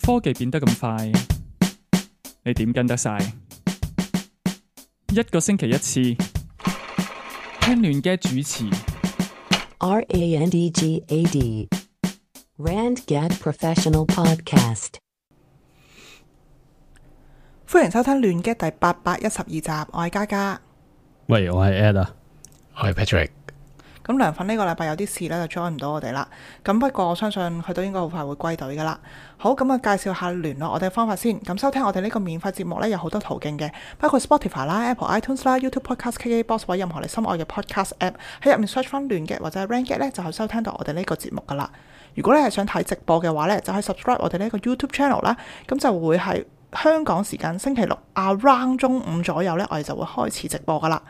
科技變得咁快，你點跟得晒？一個星期一次，聽亂嘅主持。RANDGAD RandGad Professional Podcast。歡迎收聽亂嘅第812集，我係嘉嘉。喂，我係 Ed 啊，我係 Patrick。咁涼粉呢個禮拜有啲事呢，就 join 唔到我哋啦。咁不過我相信佢都應該好快會歸隊噶啦。好，咁啊介紹下聯絡我哋嘅方法先。咁收聽我哋呢個免費節目呢，有好多途徑嘅，包括 Spotify 啦、Apple iTunes 啦、YouTube Podcast、KKBox 或者任何你心愛嘅 Podcast App， 喺入面 search 翻亂嘅或者 RandGad 呢，就可以收聽到我哋呢個節目噶啦。如果你係想睇直播嘅話呢，就可以 subscribe 我哋呢個 YouTube channel 啦。咁就會係香港時間星期六 around 中午左右呢，我哋就會開始直播噶啦。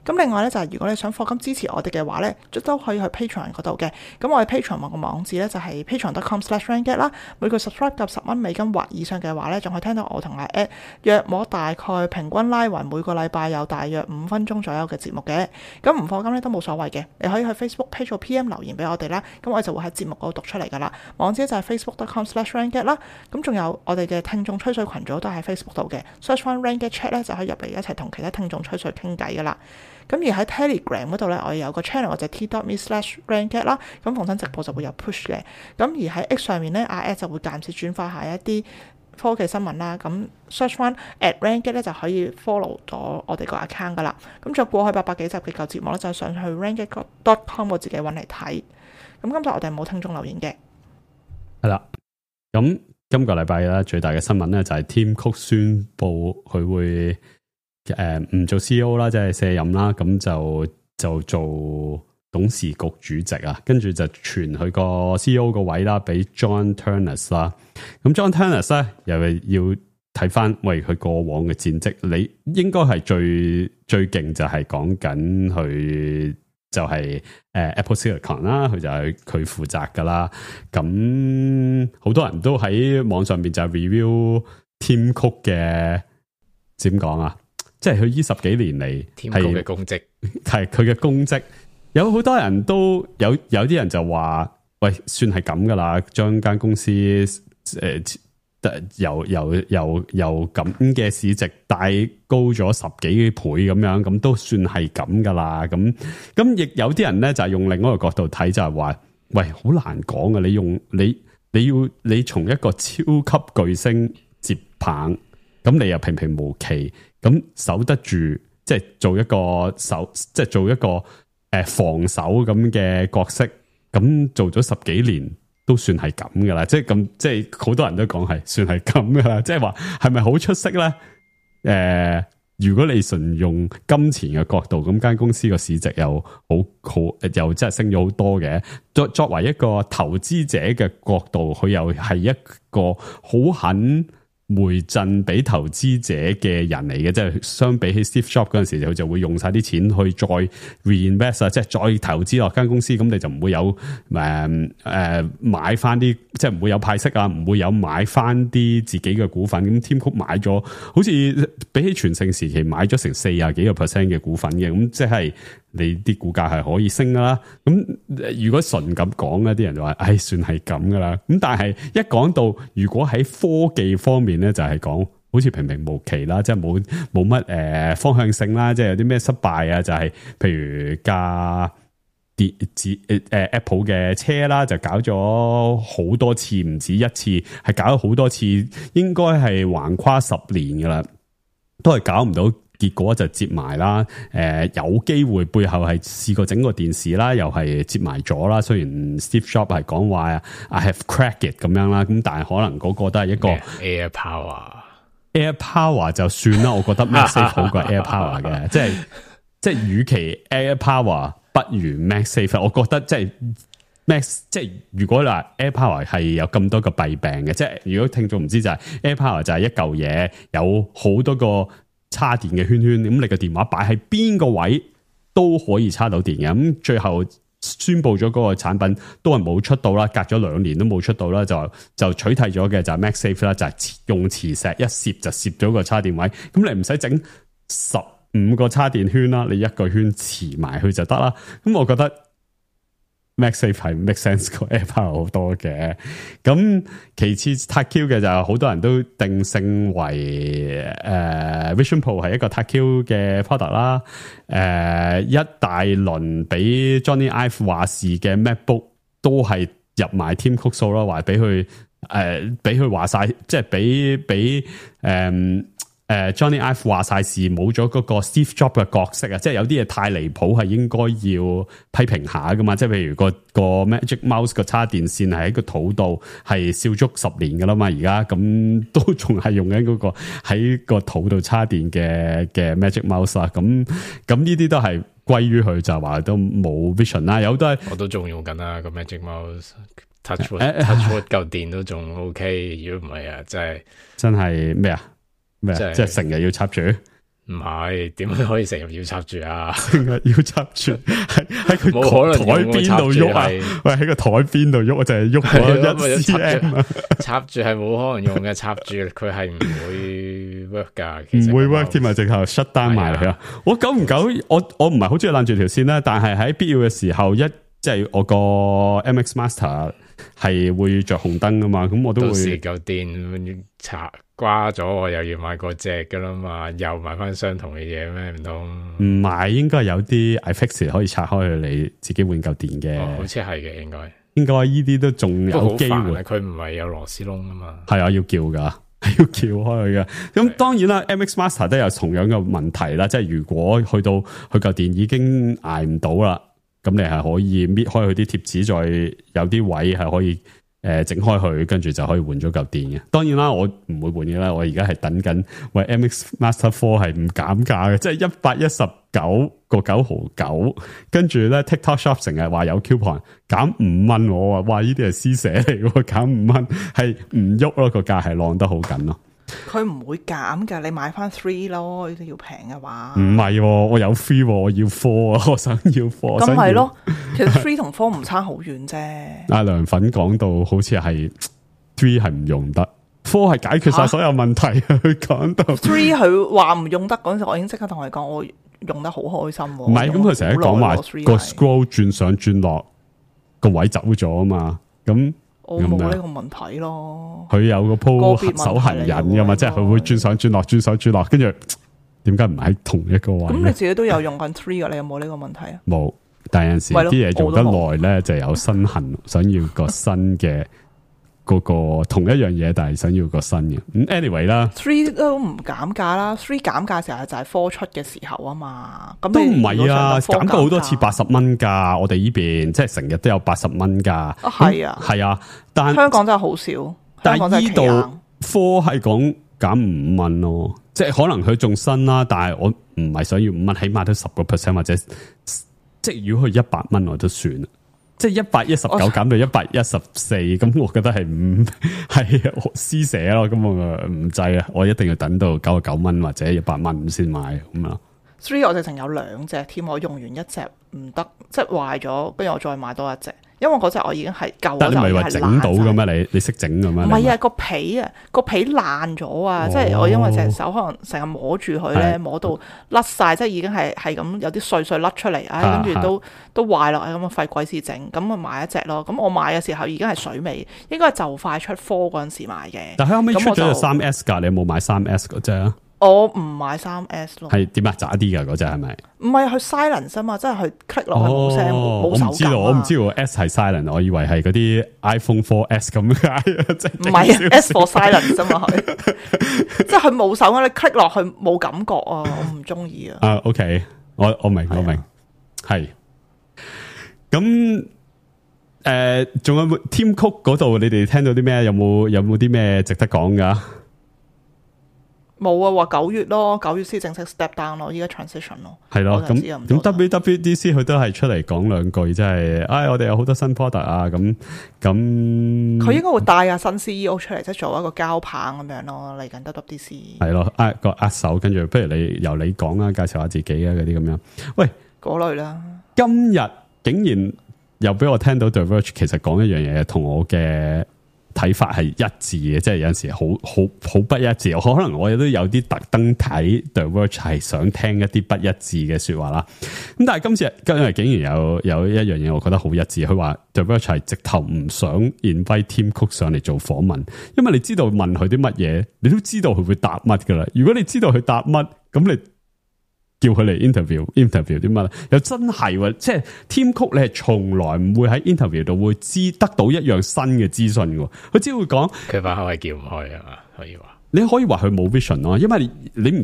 咁另外咧就係如果你想課金支持我哋嘅話咧，都可以去 Patreon 嗰度嘅。咁我哋 Patreon 個網址咧就係 patreon.com/RandGad 啦。每個 subscribe 夾$10或以上嘅話咧，仲可以聽到我同阿 Ed 約莫大概平均拉勻每個禮拜有大約5分鐘左右嘅節目嘅。咁唔課金咧都冇所謂嘅，你可以去 Facebook page 做 PM 留言俾我哋啦。咁我哋就會喺節目嗰度讀出嚟噶啦。網址就係 facebook.com/RandGad 啦。咁仲有我哋嘅聽眾吹水群組都喺 Facebook 度嘅 ，search 翻 RandGad Chat 咧就可以入嚟一齊同其他聽眾吹水傾偈噶啦。咁而喺 Telegram 嗰度咧，我有個 channel 或者 t.me/RandGad 啦，咁逢親直播就會有 push 嘅。咁而喺 X 上面咧，阿 Ed 就會間接轉發下一啲科技新聞啦。咁 search 翻 @RandGad 咧就可以 follow 咗我哋個 account 噶啦。咁再過去800幾集嘅舊節目咧，就上去 RandGad.com 我自己揾嚟睇。咁今集我哋冇聽眾留言嘅。係啦。咁今個禮拜咧最大嘅新聞咧就係 Tim Cook 宣布佢會唔做 CEO 啦，即係卸任啦，咁就做董事局主席啊，跟住就傳佢個 CEO 個位啦，俾 John Ternus 啦。咁 John Ternus 咧又係要睇翻，喂佢過往嘅戰績，你應該係最勁就係講緊佢就係Apple Silicon 啦，佢就係佢負責噶啦。咁好多人都喺網上邊就 review Tim Cook 嘅點講啊？即係佢呢10幾年嚟Tim Cook嘅功績，係佢嘅功績。有好多人都有啲人就話，喂，算係咁噶啦，將間公司由咁嘅市值帶高咗10幾倍咁樣，咁都算係咁噶啦。咁亦有啲人咧就係用另外一個角度睇，就係話，喂，好難講啊！你從一個超級巨星接棒，咁你又平平無奇。咁守得住，即係做一個防守咁嘅角色，咁做咗10幾年都算係咁噶啦，即係好多人都講係算係咁噶啦，即係話係咪好出色咧？如果你純用金錢嘅角度，咁間公司個市值又好又真係升咗好多嘅。作為一個投資者嘅角度，佢又係一個好肯回贈俾投資者嘅人嚟嘅，即係相比起 Steve Jobs 嗰陣時，佢就會用晒啲錢去再 reinvest 啊，即係再投資落間公司，咁你就唔會有買翻啲，即係唔會有派息啊，唔會有買翻啲自己嘅股份。咁 Tim Cook 買咗，好似比起全盛時期買咗成40幾個%嘅股份嘅，咁即係你啲股價係可以升噶啦。咁如果純咁講咧，啲人就話，唉，算係咁噶啦。咁但係一講到如果喺科技方面咧，就係講好似平平無奇啦，即係冇乜方向性啦，即係有啲咩失敗啊，就係譬如架Apple 嘅車啦，就搞咗好多次，唔止一次，係搞咗好多次，應該係橫跨10年噶啦，都係搞唔到。結果就接埋啦，有機會背後係試過整個電視啦，又係接埋咗啦。雖然 Steve Jobs 係講話 I have cracked it 咁樣啦，咁但係可能嗰個都係一個 Air Power 就算啦。我覺得 MagSafe 好過 Air Power 嘅，即係與其 Air Power 不如 MagSafe。我覺得即係如果嗱 Air Power 係有咁多個弊病嘅，即係如果聽眾唔知就係 Air Power 就係一嚿嘢有好多個插電嘅圈圈，咁你個電話擺喺邊個位都可以插到電嘅。咁最後宣布咗嗰個產品都係冇出到啦，隔咗2年都冇出到啦，就取締咗嘅就係 MagSafe 啦，就係用磁石一攝就攝咗個插電位，咁你唔使整15個插電圈啦，你一個圈磁埋去就得啦。咁我覺得 MagSafe 係 make sense 過 AirPower 好多嘅。咁其次 Tight Q 嘅就好多人都定性為Vision Pro 係一個 Tight Q 嘅 product 啦。一大輪俾 Johnny Ive 話事嘅 MacBook 都係入埋 Tim Cook 數啦，話俾佢俾佢話晒，即係俾Johnny Ive 話晒事，冇咗嗰個 Steve Jobs 嘅角色啊！即係有啲嘢太離譜，係應該要批評下噶嘛。即係譬如個 Magic Mouse 個插電線係喺個肚度係燒足10年噶啦嘛，而家咁都仲係用緊嗰個喺個肚度插電嘅 Magic Mouse 啦。咁呢啲都係歸於佢，就話都冇 vision 啦。有都係我都仲用緊啦個 Magic Mouse。Touchwood 嚿電都仲 OK， 如果唔係啊，真係咩啊？咩？即係成日要插住？唔係，點可以成日要插住啊？成日要插住，喺佢台邊度喐啊！喂，喺個台邊度喐，我就係喐咗1cm。插住係冇可能用嘅，插住佢係唔會 work 噶，唔會 work 添啊！直頭 shut down 埋嚟啊！我久唔久，我唔係好中意攬住條線啦，但係喺必要嘅時候，即係我個 MX Master 係會着紅燈噶嘛，咁我都會。到時嚿電插瓜咗，我又要買個隻噶啦嘛，又買翻相同嘅嘢咩？唔通？唔係，應該有啲 iFixit 可以拆開佢，你自己換嚿電嘅。好似係嘅，應該呢啲都仲有機會。佢唔係有螺絲窿啊嘛。係啊，要叫噶，係要撬開佢嘅。咁當然啦，MX Master 都有同樣嘅問題啦，即係如果去到佢嚿電已經捱唔到啦。咁你係可以搣開佢啲貼紙，再有啲位係可以整開佢，跟住就可以換咗嚿電嘅。當然啦，我唔會換嘅啦，我而家係等緊喂 MX Master 4係唔減價嘅，即係119.9，跟住咧 TikTok Shop 成日話有 coupon 減5蚊，我話哇呢啲係施捨嚟嘅，減5蚊係唔喐咯，個價係晾得好緊咯。佢唔會減噶，你買翻 3 咯，呢啲要平嘅話。唔係，我有 3，我要 4啊，我想要 4。咁係咯，其實 3同4唔差好遠啫。阿涼粉講到好似係3係唔用得，4係解決晒所有問題。佢講到3佢話唔用得嗰陣時，我已經即刻同佢講，我用得好開心。唔係，咁佢成日講話個 scroll 轉上轉落個位走咗啊嘛，咁。我冇呢個問題咯，佢有個鋪手行人噶嘛，即係佢會轉上轉落，轉上轉落，跟住點解唔喺同一個位？咁你自己都有用緊 3噶，你有冇呢個問題啊？冇，但係有陣時啲嘢用得耐咧，就有身痕，想要個新嘅嗰個同一樣嘢，但係想要個新嘅。咁 anyway 啦，3都唔減價啦，3減價時候就係4出嘅時候啊嘛。咁都唔係啊，減過好多次80蚊噶，我哋呢邊即係成日都有80蚊噶。係啊，係啊，但香港真係好少。但係呢度4係講減5蚊咯，即係可能佢仲新啦，但係我唔係想要5蚊，起碼都10%或者即係如果佢100蚊我都算啦。即係119減到114，咁我覺得係唔係施捨咯，咁我唔制啊！我一定要等到99蚊或者100蚊先買咁啊。3我直情有2隻添，我用完一隻唔得，即係壞咗，跟住我再買多一隻，因為嗰隻我已經係舊。但你唔係話整到嘅咩？你識整嘅咩？唔係啊，個皮爛咗啊！即係我因為隻手可能成日摸住佢咧，摸到甩晒，即係已經係咁有啲碎甩出嚟，跟住都壞落，咁啊費鬼事整，咁啊買一隻咯。咁我買嘅時候已經係水尾，應該係就快出4嗰陣時買嘅。但係後尾出咗個3S 㗎，你有冇買3S 嗰隻啊？我唔買3S 咯。係點啊？渣啲㗎嗰隻係咪？唔係佢 silent 啊嘛，即係佢 click 落去冇聲冇手感。我唔知道 S 係 silent， 我以為係嗰啲 iPhone 4S 咁解。唔係 S for silent 啫嘛，佢即係佢冇手啊，你 click 落去冇感覺啊，我唔中意啊。OK， 我明，係。咁仲有冇 Tim Cook 嗰度？你哋聽到啲咩？有冇啲咩值得講噶？冇啊，話9月咯，9月先正式 step down 咯，依家 transition 咯。係咯，咁 WWDC 佢都係出嚟講兩句，即係，我哋有好多新 product 啊，咁。佢應該會帶下新 CEO 出嚟，即係做一個交棒咁樣咯，嚟緊 WWDC。係咯，握手，跟住不如由你講啊，介紹下自己啊，嗰啲咁樣。喂，嗰類啦。今日竟然又俾我聽到 The Verge 其實講一樣嘢，同我嘅睇法係一致嘅，即係有陣時好不一致。可能我亦都有啲特登睇 The Verge 係想聽一啲不一致嘅說話啦。咁但係今日竟然有一樣嘢，我覺得好一致。佢話 The Verge 係直頭唔想 invite Tim Cook 上嚟做訪問，因為你知道問佢啲乜嘢，你都知道佢會答乜噶啦。如果你知道佢答乜，咁你叫佢嚟 interview 啲乜？又真係喎，即係 Tim Cook 你係從來唔會喺 interview 度會得到一樣新嘅資訊嘅，佢只會講佢把口係叫唔開啊嘛，可以話。你可以話佢冇 vision 咯，因為你唔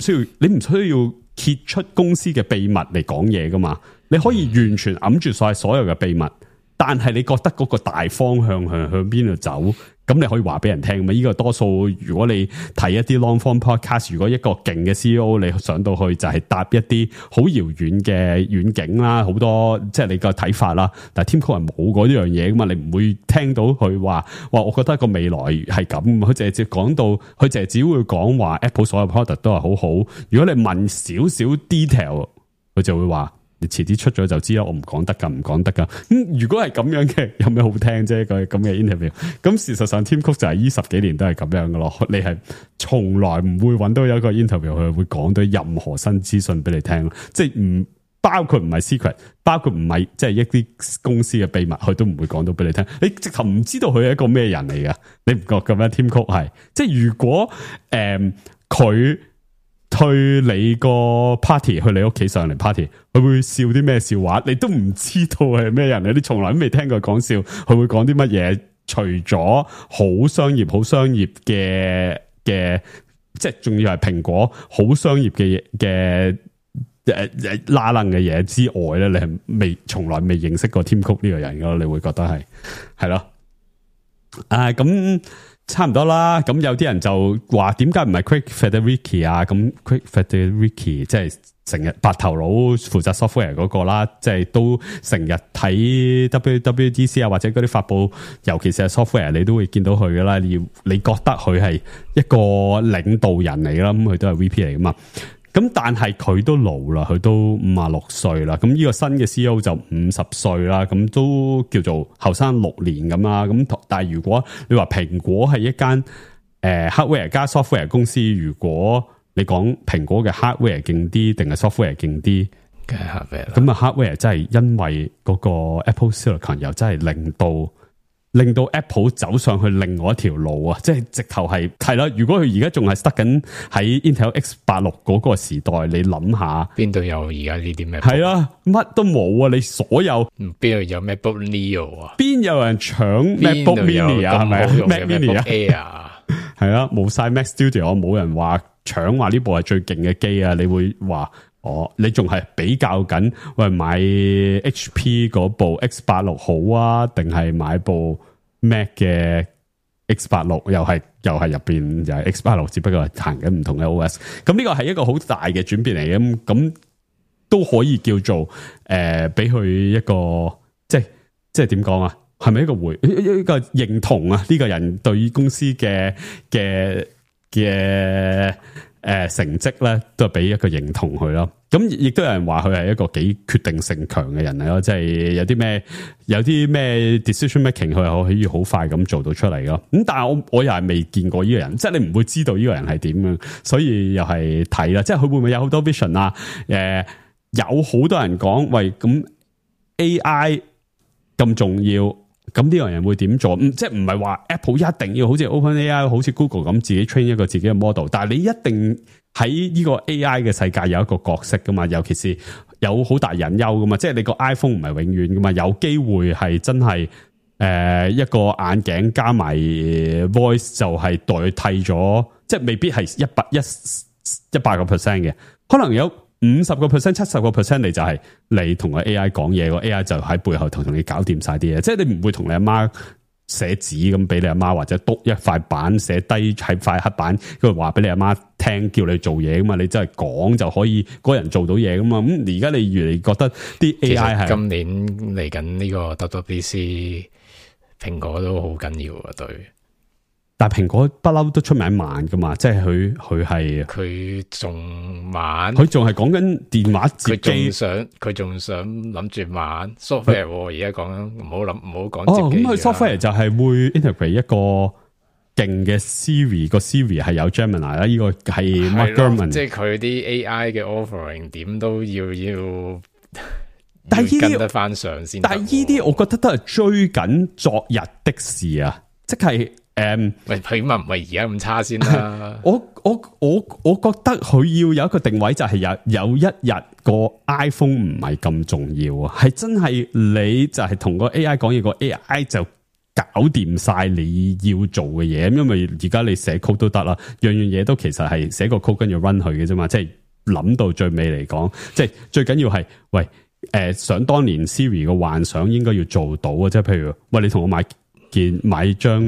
需要揭出公司嘅秘密嚟講嘢噶嘛，你可以完全揞住晒所有嘅秘密，但係你覺得嗰個大方向向邊度走？咁你可以話俾人聽嘛？呢個多數如果你睇一啲 long form podcast，如果一個勁嘅 CEO 你上到去就係答一啲好遙遠嘅遠景啦，好多即係你個睇法啦。但係 Tim Cook 係冇嗰樣嘢噶嘛，你唔會聽到佢話我覺得個未來係咁。佢淨係講到，佢淨係只會講話 Apple 所有 product 都係好好。如果你問少少 detail，佢就會話。你遲啲出咗就知啦，我唔講得噶。如果係咁樣嘅，有咩好聽啫？個咁嘅 interview， 咁事實上 Tim Cook 就係呢10幾年都係咁樣噶咯。你係從來唔會揾到有一個 interview 佢會講到任何新資訊俾你聽，即係唔包括唔係 secret， 包括唔係即係一啲公司嘅秘密，佢都唔會講到俾你聽。你直頭唔知道佢係一個咩人嚟噶，你唔覺咁樣 Tim Cook 係，即係如果佢。去你個 party， 去你屋企上嚟 party， 佢會笑啲咩笑話？你都唔知道係咩人，你從來都未聽過講笑，佢會講啲乜嘢？除咗好商業嘅，即係仲要係蘋果好商業嘅拉楞嘅嘢之外咧，你係從來未認識過 Tim Cook 呢個人噶，你會覺得係咯？咁。差唔多啦，咁有啲人就話點解唔係 Craig Federighi 啊？咁 Craig Federighi 即係成日白頭佬負責 software 嗰個啦，即係都成日睇 WWDC 啊，或者嗰啲發佈，尤其是係 software，你都會見到佢噶啦。你覺得佢係一個領導人嚟啦，咁佢都係 VP 嚟噶嘛。咁但係佢都老啦，佢都56歲啦。咁呢個新嘅 CEO 就50歲啦，咁都叫做後生6年咁啦。咁但係如果你話蘋果係一間hardware 加 software 公司，如果你講蘋果嘅 hardware 勁啲定係 software 勁啲，梗係 hardware 啦。咁啊 hardware 真係因為嗰個 Apple Silicon 又真係令到 Apple 走上去另外一條路啊！即係直頭係啦。如果佢而家仲係塞緊喺 Intel X86 嗰個時代，你諗下邊度有而家呢啲咩？係啊，乜都冇啊！你所有邊度有 MacBook Neo 啊？邊有人搶 MacBook Mini 啊？係咪 Mac Mini 啊？係啊，冇晒 Mac Studio， 冇人話搶話呢部係最勁嘅機啊！你會話你仲係比較緊喂買 HP 嗰部 X86 好啊，定係買部 Mac 嘅 X86 又係入邊又係 X86， 只不過係行緊唔同嘅 OS。咁呢個係一個好大嘅轉變嚟嘅，咁都可以叫做俾佢一個即係點講啊？係咪一個認同啊？呢個人對於公司嘅成績咧，都係俾一個認同佢咯。咁亦都有人話佢係一個幾決定性強嘅人嚟咯，即係有啲咩 decision making 佢係可以好快咁做到出嚟咯。咁但係我又係未見過呢個人，即係你唔會知道呢個人係點樣，所以又係睇啦。即係佢會唔會有好多 vision 啊？有好多人講喂，咁 AI 咁重要。咁呢個人會點做？即係唔係話 Apple 一定要好似 OpenAI 好似 Google 咁自己 train 一個自己嘅 model， 但係你一定喺呢個 AI 嘅世界有一個角色噶嘛，尤其是有好大隱憂噶嘛，即係你個 iPhone 唔係永遠噶嘛，有機會係真係一個眼鏡加埋 voice 就係代替咗，即係未必係100%嘅，可能有50%、70%， 你就係你同個 AI 講嘢，個 AI 就喺背後同你搞掂晒啲嘢，即係你唔會同你阿媽寫紙咁俾你阿媽，或者篤一塊板寫低喺塊黑板，跟住話俾你阿媽聽，叫你做嘢噶嘛，你真係講就可以嗰人做到嘢噶嘛。咁而家你越嚟覺得啲 AI 係今年嚟緊呢個 WWDC，蘋果都好緊要啊，對。但係蘋果不嬲都出名慢噶嘛，即係佢係佢仲慢，佢仲係講緊電話接機，佢仲想諗住慢 software 而家講緊唔好講哦，接機。咁佢 software 就係會 integrate 一個勁嘅 Siri， 個 Siri 係有 Gemini 啦，呢個係 Mark Gurman， 即係佢啲 AI 嘅 offering 點都要但係跟得翻上先。但係呢啲我覺得都係追緊昨日的事啊，即係喂，起碼唔係而家咁差先啦。我覺得佢要有一個定位，就係有一日個 iPhone 唔係咁重要啊，係真係你就係同個 AI 講嘢，個 AI 就搞掂晒你要做嘅嘢。因為而家你寫 code 都得啦，樣嘢都其實係寫個 code 跟住 run 佢嘅啫嘛。即係諗到最尾嚟講，即係最緊要係喂想當年 Siri 嘅幻想應該要做到啊！即係譬如喂，你同我買張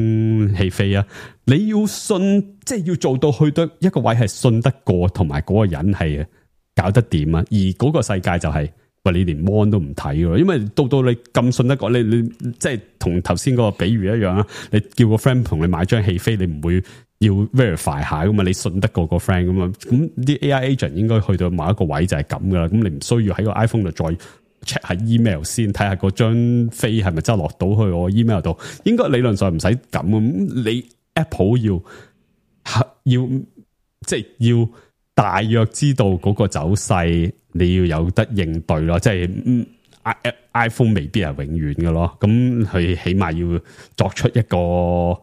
戲飛啊！你要信，即係要做到去到一個位係信得過，同埋嗰個人係搞得掂啊！而嗰個世界就係喂，你連 mon 都唔睇咯，因為到你咁信得過，你即係同頭先嗰個比喻一樣啊！你叫個 friend 同你買張戲飛，你唔會要 verify 下噶嘛？你信得過個 friend 噶嘛？咁啲 AI agent 應該去到某一個位就係咁噶啦。咁你唔需要喺個 iPhone 度再check 下 email 先，睇下嗰張飛係咪真係落到去我 email 度？應該理論上唔使咁。你 Apple 要即係要大約知道嗰個走勢，你要有得應對咯。即係iPhone 未必係永遠嘅咯。咁佢起碼要作出一個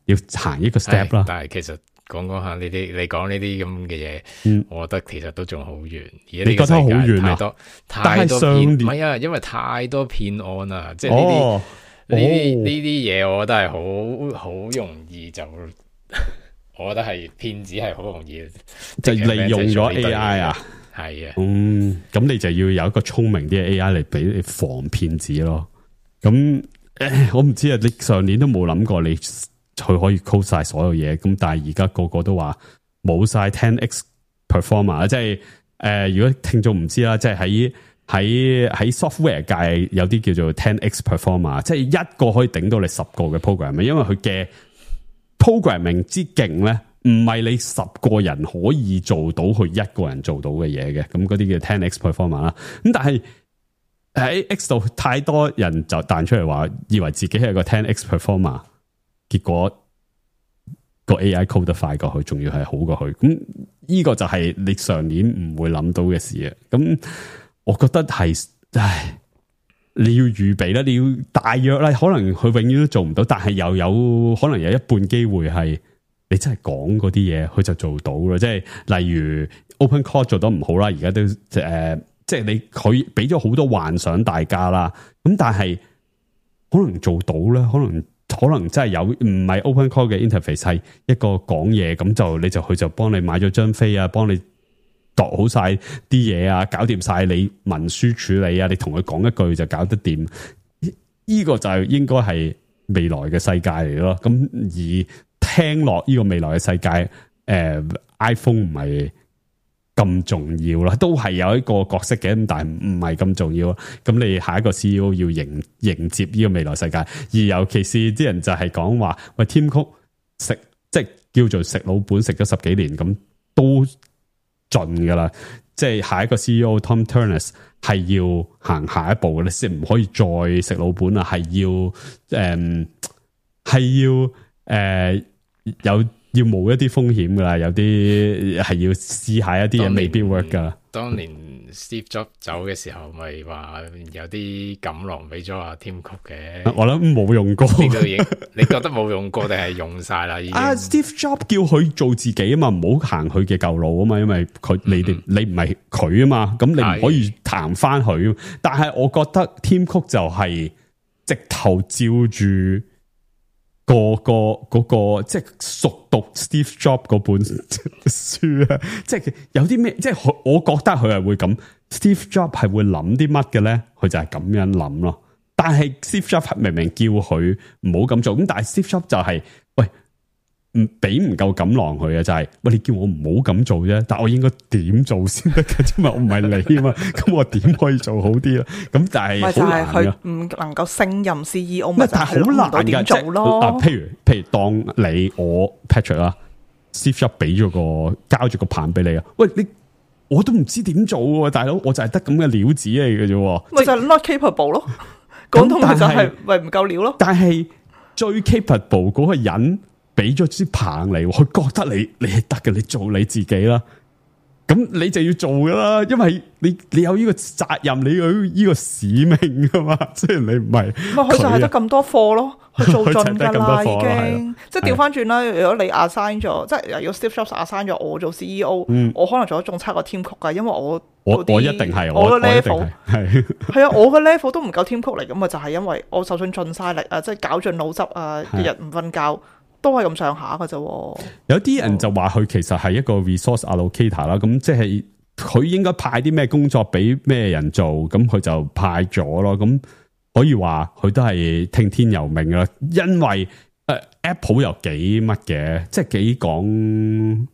要行一個 step 啦。但係其實講下呢啲，你講呢啲咁嘅嘢，我覺得其實都仲好遠。而家呢個世界太多太多騙，唔係啊，因為太多騙案啊，即係呢啲嘢，我覺得係好容易就，我覺得係騙子係好容易就利用咗 AI 啊，係啊，咁你就要有一個聰明啲嘅 AI 嚟俾你防騙子咯。咁我唔知啊，你上年都冇諗過你。佢可以 code 晒所有嘢，咁但係而家個個都話冇晒 10x performer， 即係如果聽眾唔知啦，即係喺 software 界有啲叫做 10x performer， 即係一個可以頂到你10個嘅 programming， 因為佢嘅 programming 之勁咧，唔係你10個人可以做到佢一個人做到嘅嘢嘅，咁嗰啲叫 10x performer 啦。咁但係喺 X 度太多人就彈出嚟話，以為自己係個 10x performer。結果個 AI code 得快過佢，仲要係好過佢，咁呢個就係你上年唔會諗到嘅事啊！咁我覺得係，你要預備啦，你要大約啦，可能佢永遠都做唔到，但係又有可能有一半機會係你真係講嗰啲嘢，佢就做到啦。即係例如 OpenClaw 做得唔好啦，而家都即係你佢俾咗好多幻想大家啦，咁但係可能做到咧，可能真係有唔係 OpenClaw 嘅 interface 係一個講嘢，咁就你就去就幫你買咗張飛啊，幫你度好晒啲嘢啊，搞掂晒你文書處理啊，你同佢講一句就搞得掂。呢個就應該係未來嘅世界嚟咯。咁而聽落呢個未來嘅世界，iPhone 唔係咁重要啦，都係有一個角色嘅，咁但係唔係咁重要。咁你下一個 CEO 要迎接呢個未來世界，而尤其是啲人就係講話，喂，Tim Cook 食即係叫做食老本，食咗10幾年，咁都盡噶啦。即係下一個 CEO Tom Turners 係要行下一步嘅咧，即係唔可以再食老本啦，係要冒一啲風險噶啦，有啲係要試下一啲嘢未必 work 噶。當年 Steve Jobs 走嘅時候，咪話有啲錦囊俾咗阿 Tim Cook 嘅。我諗冇用過，你覺得冇用過定係用晒啦？已經。Steve Jobs 叫佢做自己啊嘛，唔好行佢嘅舊路啊嘛，因為你唔係佢啊嘛，咁你唔可以行翻佢。但係我覺得 Tim Cook 就係直頭照住。個即係熟讀 Steve Jobs 嗰本書啊，即係有啲咩，即係我覺得佢係會咁 ，Steve Jobs 係會諗啲乜嘅咧？佢就係咁樣諗咯。但係 Steve Jobs 明明叫佢唔好咁做，咁但係 Steve Jobs 就係、喂，唔俾唔夠錦囊佢嘅，就係喂，你叫我唔好咁做啫，但我應該點做先得嘅？因為我唔係你啊嘛，咁我點可以做好啲咧？咁但係好難佢唔能夠勝任 CEO，咪就係好難點做咯。譬如當你我 Patrick 啦 ，Steve Jobs 俾咗交咗個棒俾你啊，喂你。我都唔知點做喎，大佬，我就係得咁嘅料子嚟嘅啫，咪就係 not capable 咯。講到咪就係咪唔夠料咯。但係最 capable 嗰個人俾咗支棒嚟，佢覺得你係得嘅，你做你自己啦。咁你就要做噶啦，因為你有呢個責任，你有呢個使命噶嘛。雖然你唔係，佢就係得咁多貨咯，佢做盡噶啦，已經。即係調翻轉啦，如果你 assign 咗，即係如果 Steve Jobs assign 咗我做 CEO，我可能做得仲差過 Tim Cook 噶，因為我一定係我嘅 level 係啊，我嘅 level 都唔夠 Tim Cook 嚟，咁啊就係因為我就算盡晒力啊，即係搞盡腦汁啊，日日唔瞓覺。都係咁上下㗎啫。有啲人就話佢其實係一個 resource allocator 啦，咁即係佢應該派啲咩工作俾咩人做，咁佢就派咗咯。咁可以話佢都係聽天由命啦。因為Apple 又幾乜嘅，即係幾講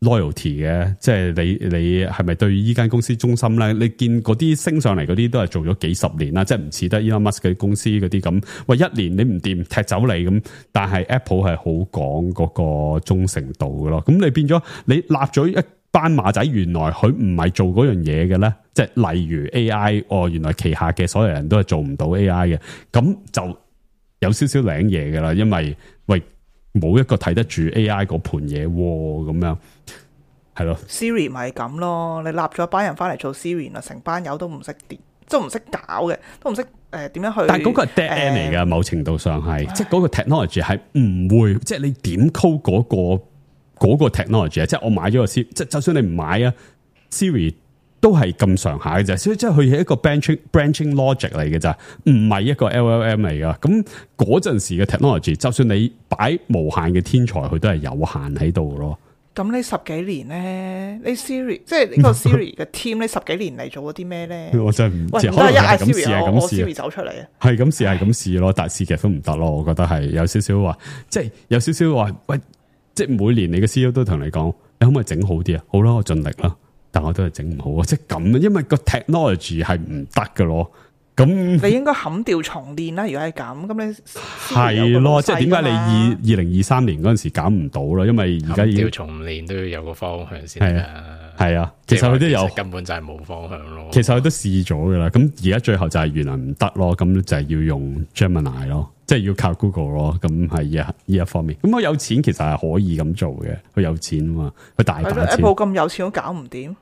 loyalty 嘅，即係你係咪對呢間公司忠心咧？你見嗰啲升上嚟嗰啲都係做咗幾十年啦，即係唔似得 Elon Musk 嘅公司嗰啲咁，喂，一年你唔掂踢走你咁，但係 Apple 係好講嗰個忠誠度嘅咯。咁你變咗你立咗一班馬仔，原來佢唔係做嗰樣嘢嘅咧，即係例如 AI，原來旗下嘅所有人都係做唔到 AI 嘅，咁就有少少領嘢嘅啦，因為喂冇一個睇得住 AI 嗰盤嘢咁樣。係咯 ，Siri 咪咁咯，你立咗一班人翻嚟做 Siri 啦，成班友都唔識掂，即係唔識搞嘅，都唔識點樣去。但係嗰個係 dead end 嚟噶，某程度上係，即係嗰個 technology 係唔會，即係你點 code 嗰個 technology 啊，即係我買咗個 Siri，即係就算你唔買啊 ，Siri 都係咁上下嘅啫，所以即係佢係一個 branching logic 嚟嘅咋，唔係一個 LLM 嚟噶。咁嗰陣時嘅 technology， 就算你擺無限嘅天才，佢都係有限喺度咯。咁呢十幾年咧，你 Siri 即係呢個 Siri 嘅 team 呢十幾年嚟做咗啲咩咧？我真係唔知，可能一嗌 Siri 係咁試， Siri 走出嚟啊，係咁試係咁試咯，但係試極都唔得咯。我覺得係有少少話，即係有少少話，喂，即係每年你嘅 CEO 都同你講，你可唔可以整好啲啊？好啦，我盡力啦，但我都係整唔好啊，即係咁，因為個 technology 係唔得㗎咯。咁你應該砍掉重練啦，如果係咁你係咯，即係點解你2023年嗰陣時搞唔到啦？因為而家要重練都要有個方向先啦。係啊，其實佢都有，根本就係冇方向咯。其實佢都試咗噶啦，咁而家最後就係原來唔得咯，咁就係要用 Gemini 咯，即係要靠 Google 咯，咁係呢一方面。咁佢有錢其實係可以咁做嘅，佢有錢啊嘛，佢大把錢。Apple 咁有錢都搞唔掂。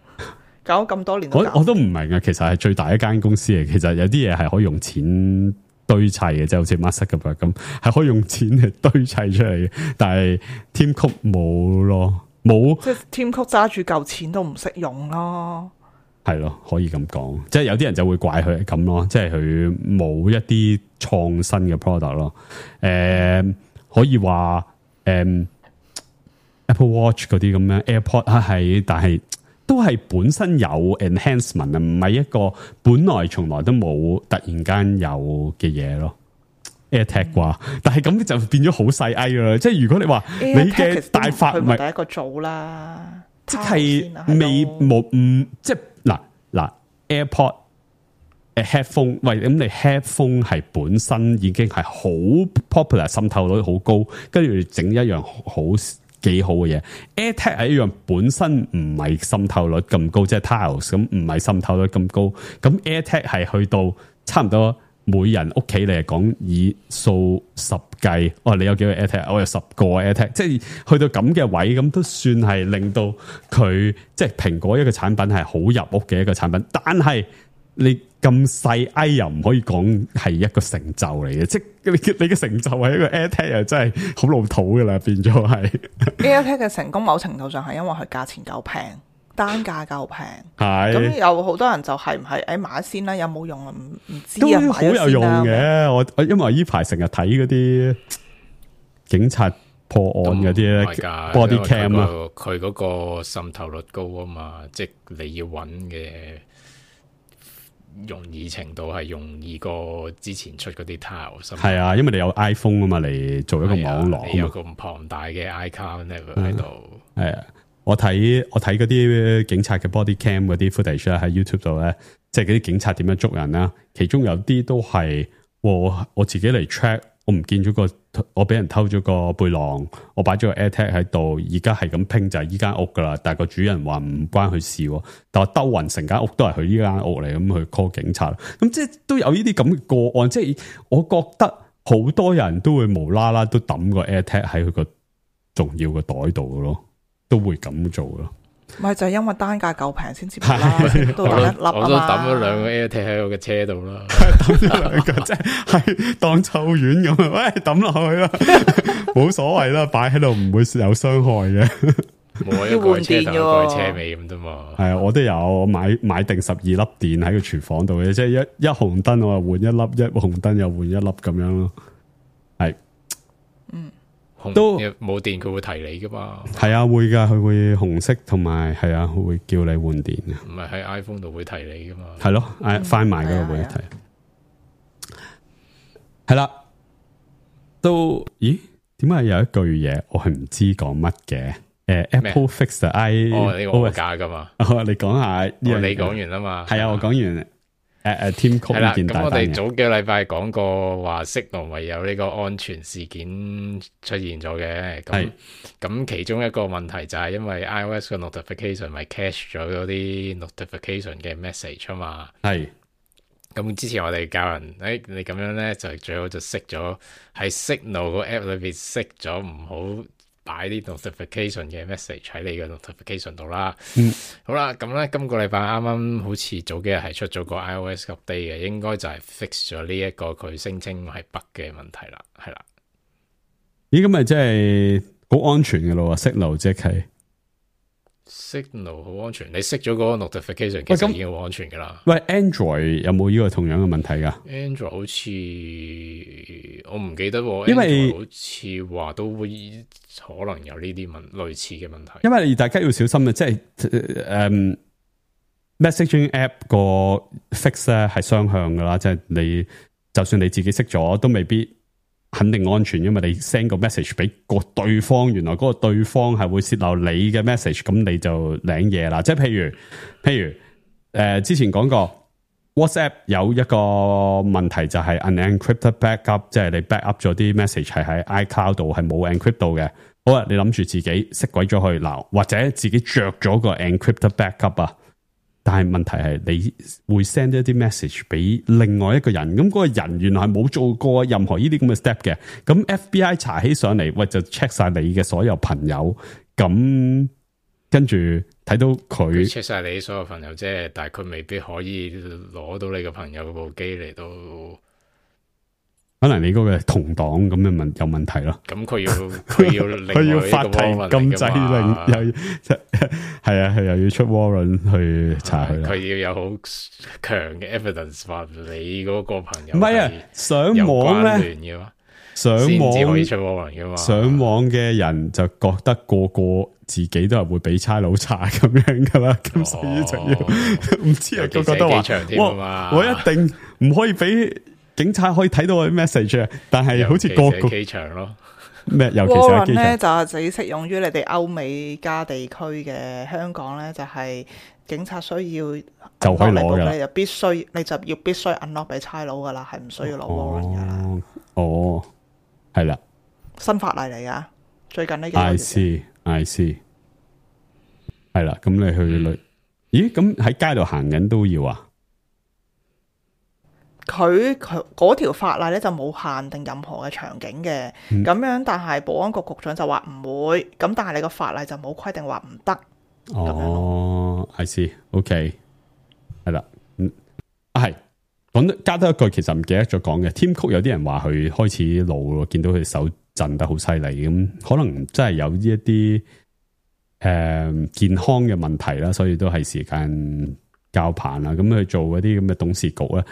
搞咁多年我都唔明啊！其實係最大一間公司嚟，其實有啲嘢係可以用錢堆砌嘅，即係好似 Musk 咁，係可以用錢嚟堆砌出嚟嘅。但係 Tim Cook 冇咯，冇即係 Tim Cook 揸住嚿錢都唔識用咯。係咯，可以咁講。即係有啲人就會怪佢咁咯，即係佢冇一啲創新嘅 product 咯。可以話Apple Watch 嗰啲咁樣 AirPod 係，但係。都係本身有 enhancement 啊，唔係一個本來從來都冇突然間有嘅嘢咯。AirTag 啩，但係咁就變咗好細 I 啦。即係如果你話你嘅大發唔係第一個做啦，即係未冇即係嗱 AirPod headphone， 喂咁你 headphone 係本身已經係好 popular， 滲透率好高，跟住整一樣好。幾好嘅嘢 ，AirTag 係一樣本身唔係滲透率咁高，即係 Tiles 咁唔係滲透率咁高。咁 AirTag 係去到差唔多每人屋企嚟講以數十計，你有幾個 AirTag？ 我有10個 AirTag， 即係去到咁嘅位，咁都算係令到佢即係蘋果一個產品係好入屋嘅一個產品，但係你咁細又唔可以講係一個成就嚟嘅，即係你嘅成就係一個 AirTag 又真係好老土噶啦，變咗係 AirTag 嘅成功，某程度上係因為佢價錢夠平，單價夠平。係咁有好多人就係唔係買先啦，有冇用啊？唔知都啊，好有用嘅。我因為呢排成日睇嗰啲警察破案嗰啲咧 body cam 啊，佢嗰個滲透率高啊嘛，即係你要揾嘅容易程度係容易過之前出嗰啲 Tiles。係啊，因為你有 iPhone 啊嘛，嚟做一個網絡，你有咁龐大嘅 iCloud network 喺度。係啊，我睇嗰啲警察嘅 body cam 嗰啲 footage 咧，喺 YouTube 度咧，即係嗰啲警察點樣捉人啦。其中有啲都係我自己嚟 check。我唔見咗我俾人偷咗個背囊，我擺咗個 AirTag 喺度，而家係咁拼就係依間屋噶啦。但係個主人話唔關佢事，但係兜勻成間屋都係佢呢間屋嚟，咁去 call 警察。咁即係都有呢啲咁嘅個案，即係我覺得好多人都會無啦啦都抌個 AirTag 喺佢個重要嘅袋度咯，都會咁做咯。咪就係因為單價夠平先至啦，都抌一粒我都抌咗2個 AirTag 喺我嘅車度啦，抌咗2個即係當臭丸咁啊！喂，抌落去啦，冇所謂啦，擺喺度唔會有傷害嘅。冇一個車頭一個車尾咁啫嘛。係啊，我都有買定12粒電喺個廚房度嘅，即係一紅燈我就換1粒，一紅燈又換1粒咁樣咯。係，都冇電佢會提你噶嘛？係啊，會噶，佢會紅色同埋係啊，會叫你換電嘅。唔係喺 iPhone 度會提你噶嘛？係咯，find my 嗰度會提。係啦，都咦？點解有一句嘢我係唔知講乜嘅？Apple fix 呢個我假噶嘛？你講下呢樣，你講完啦嘛？係啊，我講完。Tim Cook 呢件大單嘅。咁我哋早幾個禮拜講過話Signal咪有呢個安全事件出現咗嘅。咁其中一個問題就係因為 iOS 嘅 notification 咪 cache 咗嗰啲 notification 嘅 message 啊嘛。係。咁之前我哋教人，你咁樣咧就最好就熄咗喺 Signal 個 app 裏邊熄咗，唔好擺啲 notification 嘅 message 喺你嘅 notification 度啦。好啦，咁咧今個禮拜啱啱好似早幾日係出咗個 iOS update 嘅，應該就係 fix 咗呢一個佢聲稱係 bug 嘅問題啦，係啦。咦，咁咪即係好安全嘅咯？Signal 即係 Signal 好安全，你熄咗嗰個 notification 其實已經好安全噶啦。喂 ，Android 有冇呢個同樣嘅問題噶 ？Android 好似我唔記得，因為 Android 好似話都會可能有呢啲類似嘅問題。因為大家要小心啊，即係messaging app 個 fix 咧係雙向噶啦，即係你就算你自己熄咗，都未必肯定安全，因為你 send 個 message 俾個對方，原來嗰個對方係會泄漏你嘅 message， 咁你就領嘢啦。即係譬如之前講過 WhatsApp 有一個問題就係 unencrypted backup， 即係你 backup 咗啲 message 係喺 iCloud 度係冇 encrypt 到嘅。好啊，你諗住自己熄鬼咗去嗱，或者自己着咗個 encrypted backup 啊。但係問題係你會 send 一啲 message 俾另外一個人，咁嗰個人原來係冇做過任何呢啲咁嘅 step 嘅，咁 FBI 查起上嚟，喂就 check 晒你嘅所有朋友，咁跟住睇到佢 check 晒你所有朋友啫，但係佢未必可以攞到你個朋友部機嚟到。可能你嗰個同黨咁嘅有問題咯，咁佢要法庭禁制令，又係啊，係又要出 warrant 去查佢啦。佢要有好強嘅 evidence 話你嗰個朋友唔係啊，上網咧，上網先至可以出 warrant 噶嘛。上網嘅人就覺得個個自己都係會俾差佬查咁樣噶啦，咁所以就要唔知啊，個個都話我一定唔可以俾。警察可以睇到我啲 message 啊，但係好似個個機場咯咩？尤其是喺機場咧，就只適用於你哋歐美加地區嘅。香港咧就係警察需要就可以攞噶啦，你就必須 unlock 俾差佬噶啦，係唔需要攞 warrant 噶啦。哦，係啦，新法例嚟噶，最近呢幾個月。I see， 係啦，咁你去咦？咁喺街度行緊都要啊？佢嗰條法例咧就冇限定任何嘅場景嘅，咁樣，但係保安局局長就話唔會，咁但係你個法例就冇規定話唔得。哦，I see，OK， 係啦，係講得加多一句，其實唔記得咗講嘅。Tim Cook 有啲人話佢開始老咯，見到佢手震得好犀利，咁可能真係有呢一啲健康嘅問題啦，所以都係時間交棒啦。咁去做嗰啲咁嘅董事局咧。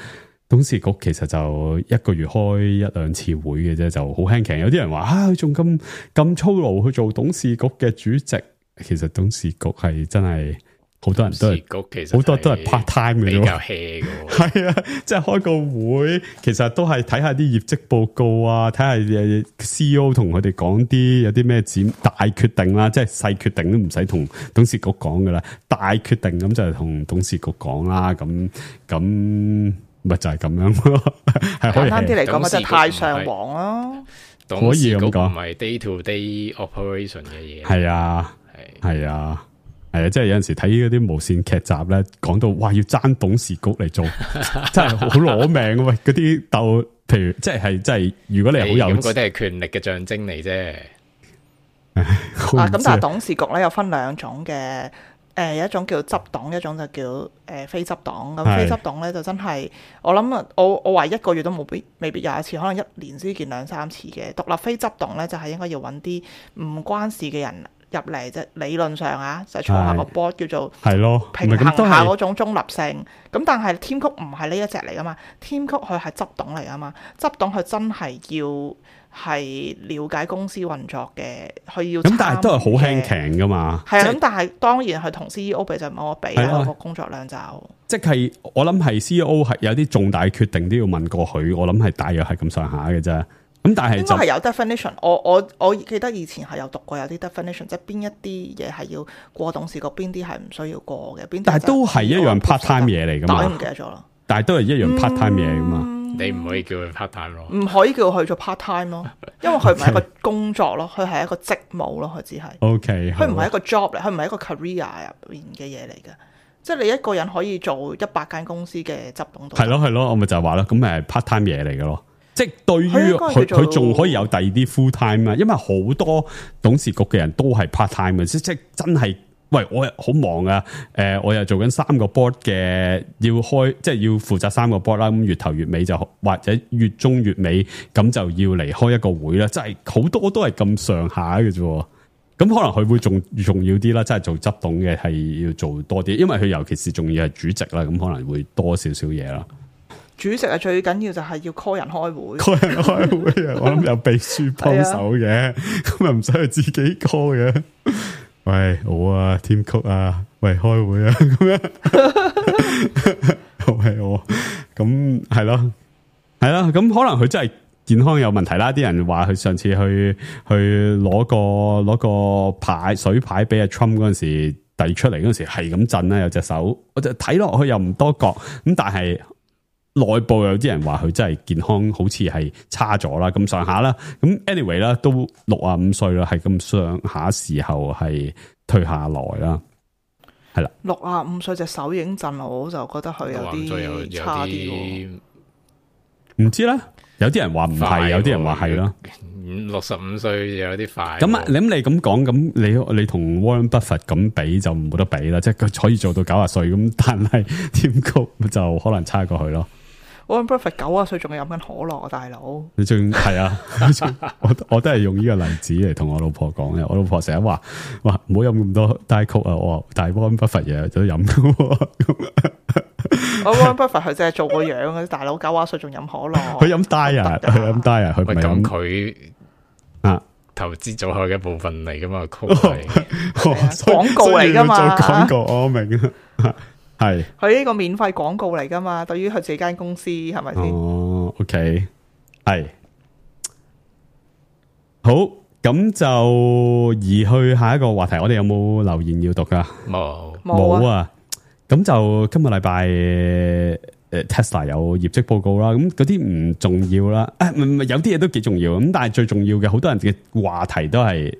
董事局其實就一個月開1-2次會嘅啫，就好輕鬆。有啲人話佢仲咁粗魯去做董事局嘅主席，其實董事局係真係好多人都係好多都係 part time 嘅，比較 hea 嘅。係啊，即係開個會，其實都係睇下啲業績報告啊，睇下 CEO 同佢哋講啲有啲咩大決定啦，即係細決定都唔使同董事局講噶啦，大決定咁就係同董事局講啦，咁咪就係咁樣咯。係簡單啲嚟講，咪就係太上皇咯。董事局唔係 day to day operation 嘅嘢。係啊，係啊。係啊，即係有陣時睇嗰啲無線劇集咧，講到哇要爭董事局嚟做，真係好攞命喂！嗰啲鬥，譬如即係，如果你係好有，嗰啲係權力嘅象徵嚟啫。咁但係董事局咧有分兩種嘅，有一種叫執董，一種就叫非執董。咁非執董咧就真係，我諗啊，我話一個月都未必有一次，可能一年先見2-3次嘅。獨立非執董咧就係應該要揾啲唔關事嘅人入嚟啫，理論上啊，就坐下個 board 叫做平衡下嗰種中立性。咁但係 Tim Cook 唔係呢一隻嚟噶嘛 ，Tim Cook 佢係執董嚟噶嘛，執董佢真係要係了解公司運作嘅，佢要咁但係都係好輕強噶嘛。係啊，咁但係當然佢同 CEO 比就冇得比啦，個工作量就即係我諗係 CEO 係有啲重大決定都要問過佢，我諗係大約係咁上下嘅啫。咁但係應該係有 definition， 我記得以前係有讀過有啲 definition， 即係邊一啲嘢係要過董事局，邊啲係唔需要過嘅，邊啲。但係都係一樣 part time 嘢嚟噶嘛？但係唔記得咗啦。但係都係一樣 part time 嘢噶嘛？你唔可以叫佢 part time 咯，唔可以叫佢做 part time 咯，因為佢唔係一個工作咯，佢係一個職務咯，佢只係。OK，佢唔係一個 job 嚟，佢唔係一個 career 入邊嘅嘢嚟嘅。即係你一個人可以做100間公司嘅執董。係咯，我咪就係話咯，咁咪 part time 嘢嚟嘅咯。即係對於佢仲可以有第二啲 full time 啊，因為好多董事局嘅人都係 part time 嘅，即係真係，喂，我好忙啊，我又做緊3個 board 嘅，要開即係要負責3個 board 啦，咁月頭月尾就或者月中月尾咁就要嚟開一個會啦，即係好多都係咁上下嘅啫，咁可能佢會仲重要啲啦，即係做執董嘅係要做多啲，因為佢尤其是仲要係主席啦，咁可能會多少少嘢啦。主席係最緊要就係要 call 人開會，call 人開會啊！我諗有秘書幫手嘅，咁又唔使佢自己 call 嘅。喂，我啊 ，Tim Cook 啊，喂，開會啊，咁樣，係我，咁係咯，咁可能佢真係健康有問題啦。啲人話佢上次去攞個牌水牌俾阿 Trump 嗰陣時遞出嚟嗰陣時係咁震啦，有隻手，我就睇落去又唔多覺，咁但係。內部有啲人話佢真係健康好似係差咗啦，咁上下啦。咁 anyway 啦，都65歲啦，係咁上下時候係退下來啦，係啦。65歲隻手已經震，我就覺得佢有啲差啲。唔知啦，有啲人話唔係，有啲人話係啦。 65歲有啲快。咁啊，你咁講，咁你同 Warren Buffett 咁比就冇得比啦，即係佢可以做到90歲咁，但係 Tim Cook 就可能差過去咯。Warren Buffett 90歲仲係飲緊可樂啊，大佬！你仲係啊？我都係用呢個例子嚟同我老婆講嘅。我老婆成日話唔好飲咁多 Diet Coke啊！我話但係 Warren Buffett 日日都飲嘅。Warren Buffett 佢淨係做個樣嘅，大佬90歲仲飲可樂。佢飲 Diet，佢飲 Diet，佢唔係飲。佢啊，投資組合嘅一部分嚟噶嘛？Coke 係廣告嚟噶嘛？做廣告，我明啊。係佢呢個免費廣告嚟噶嘛？對於佢自己間公司係咪先？哦 ，OK， 係好，咁就移去下一個話題。我哋有冇留言要讀噶？冇啊。咁就今個禮拜Tesla 有業績報告啦。咁嗰啲唔重要啦。唔有啲嘢都幾重要。咁但係最重要嘅，好多人嘅話題都係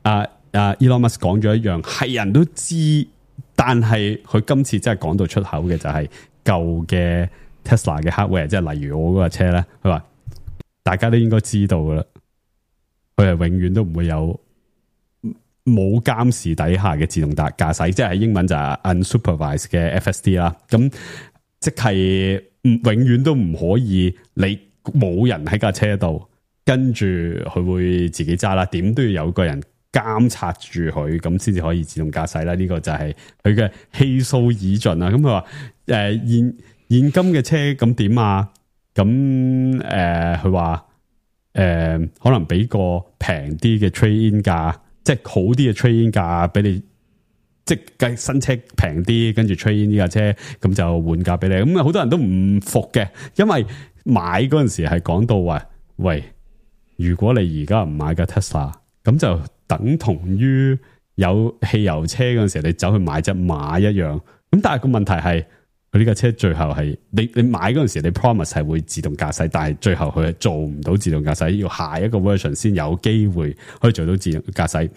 Elon Musk 講咗一樣，係人都知。但係佢今次真係講到出口嘅就係舊嘅 Tesla 嘅 hardware， 即係例如我嗰架車咧，佢話大家都應該知道噶啦，佢係永遠都唔會有冇監視底下嘅自動駕駛，即係英文就係 unsupervised 嘅 FSD 啦。咁即係永遠都唔可以你冇人喺架車度，跟住佢會自己揸啦，點都要有個人監察住佢，咁先至可以自動駕駛啦。呢個就係佢嘅氣數已盡啦。咁佢話現今嘅車咁點啊？咁佢話可能俾個平啲嘅 trade in 價，即係好啲嘅 trade in 價俾你即係新車平啲，跟住 trade in 呢架車，咁就換價俾你。咁好多人都唔服嘅，因為買嗰陣時係講到話，喂，如果你而家唔買架 Tesla，咁就等同於有汽油車嗰陣時，你走去買隻馬一樣。咁但係個問題係，佢呢架車最後係你買嗰陣時，你 promise 係會自動駕駛，但係最後佢係做唔到自動駕駛，要下一個 version 先有機會可以做到自動駕駛。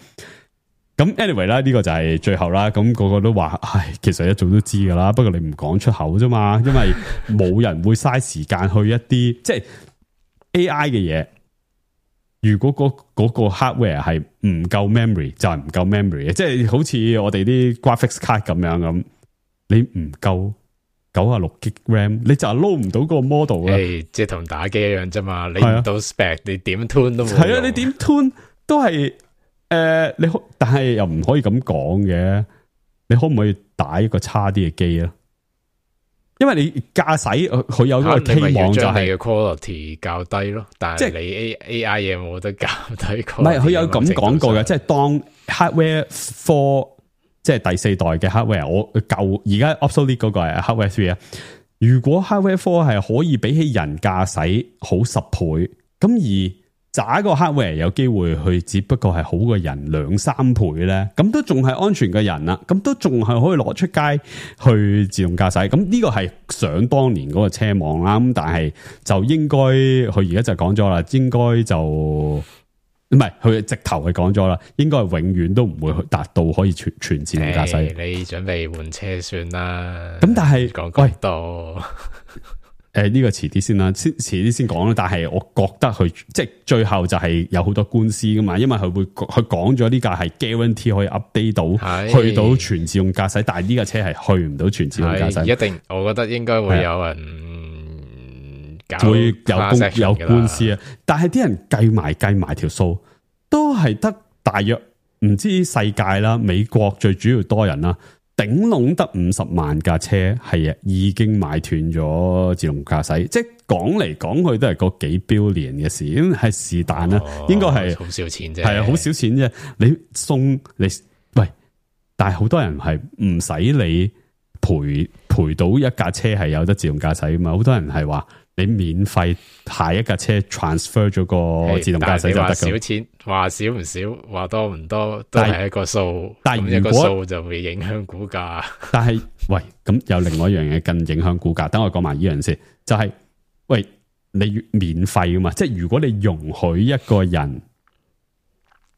咁 anyway 啦，呢個就係最後啦。咁個個都話，唉，其實一早都知噶啦，不過你唔講出口啫嘛，因為冇人會嘥時間去一啲即係 AI 嘅嘢。如果嗰個 hardware 係唔夠 memory， 就係唔夠 memory 嘅，即係好似我哋啲 graphics card 咁樣咁，你唔夠96GB RAM， 你就係撈唔到個 model 啦。即係同打機一樣啫嘛，你唔到 spec， 你點 tune 都冇用。係啊，你點 tune 都係。你但係又唔可以咁講嘅，你可唔可以打一個差啲嘅機啊？因為你駕駛佢有嗰個期望就係 quality 較低咯，但係你 AI 嘢冇得較低。唔係佢有咁講過嘅，即係當 hardware 4即係第4代嘅 hardware， 我舊而家 obsolete 嗰個係 hardware 3啊。如果 hardware 4係可以比起人駕駛好10倍，咁而渣個 hardware 有機會去，只不過係好過人2-3倍咧，咁都仲係安全嘅人啦，咁都仲係可以攞出街去自動駕駛。咁呢個係想當年嗰個車網啦，咁但係就應該佢而家就講咗啦，應該就唔係佢直頭係講咗啦，應該係永遠都唔會達到可以全自動駕駛。你準備換車算啦。咁但係講咁多。呢個遲啲先啦，遲啲先講啦。但係我覺得佢即係最後就係有好多官司噶嘛，因為佢講咗呢架係 guarantee 可以 update 到去到全自動駕駛，但係呢架車係去唔到全自動駕駛。一定，我覺得應該會有人會有官司啊。但係啲人計埋條數，都係得大約唔知世界啦，美國最主要多人啦。頂籠得50萬架車係已經買斷咗自動駕駛，即係講嚟講去都係個幾billion嘅事，係是但啦，應該係好少錢啫，係啊，好少錢啫。你送你喂，但係好多人係唔使你賠到一架車係有得自動駕駛噶嘛，好多人係話。你免費下一架車 transfer 咗個自動駕駛就得㗎。少錢，話少唔少，話多唔多，都係一個數。但係一個數就會影響股價。但係喂，咁有另外一樣嘢更影響股價。等我講埋呢樣先，就係喂，你免費噶嘛？即係如果你容許一個人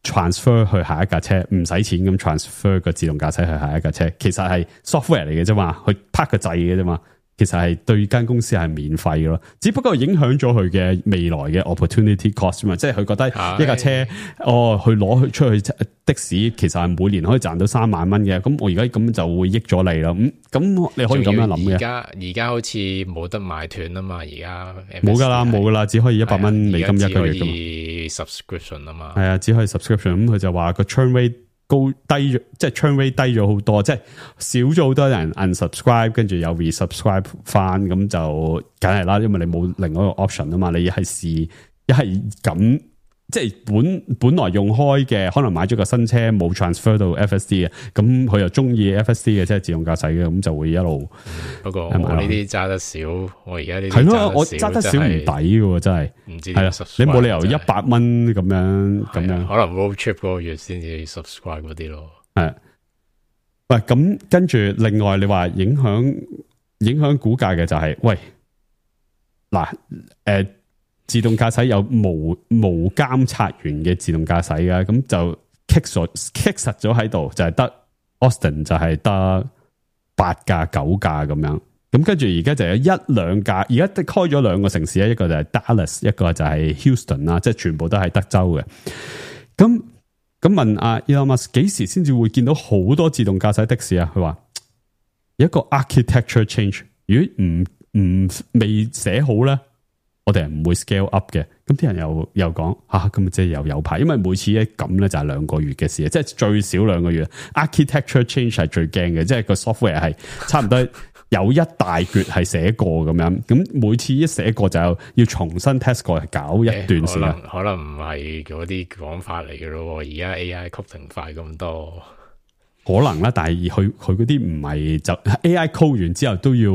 transfer 去下一架車，唔使錢咁 transfer 個自動駕駛去下一架車，其實係 software 嚟嘅啫嘛，去拍個掣嘅啫嘛。其實係對間公司係免費嘅咯，只不過影響咗佢嘅未來嘅 opportunity cost 嘛，即係佢覺得一架車去攞出去的士，其實係每年可以賺到3萬蚊嘅，咁我而家咁就會益咗你啦。咁你可以咁樣諗嘅。而家好似冇得買斷啊嘛，而家冇噶啦，只可以100蚊美金一個月噶嘛。subscription 啊嘛，係啊，只可以 subscription。咁佢就話個 churn rate 低咗，即係 churn rate 低咗好多，即係少咗好多人 unsubscribe， 跟住又 resubscribe 翻，咁就梗係啦，因為你冇另外一個 option 啊嘛，你一係咁，即係本來用開嘅，可能買咗個新車冇 transfer 到 FSD 嘅，咁佢又中意 FSD 嘅，即係自動駕駛嘅，咁就會一路。不過我呢啲揸得少，我而家呢啲係咯，我揸得少唔抵嘅，真係唔知係啦，你冇理由100蚊咁樣，可能 road trip 嗰個月先至 subscribe 嗰啲咯。係，喂，咁跟住另外你話影響股價嘅就係，喂，嗱，自動駕駛有無監察員嘅自動駕駛嘅，咁就棘實咗喺度，就係得 Austin 就係得8架9架咁樣，咁跟住而家就有1-2架，而家開咗2個城市咧，一個就係 Dallas， 一個就係 Houston 啦，即係全部都係德州嘅。咁問阿 Elon Musk 幾時先至會見到好多自動駕駛的士啊？佢話有一個 architecture change， 如果唔未寫好咧。我哋唔會 scale up 嘅，咁啲人又講咁即係又有排，因為每次一咁咧就係2個月嘅事，即係最少2個月。Architecture change 係最驚嘅，即係個 software 係差唔多有一大橛係寫過咁樣，咁每次一寫過就要重新 test 過，係搞一段時間。可能唔係嗰啲講法嚟嘅咯，而家 AI coding 快咁多。可能啦，但係佢嗰啲唔係就 AI code 完之後都要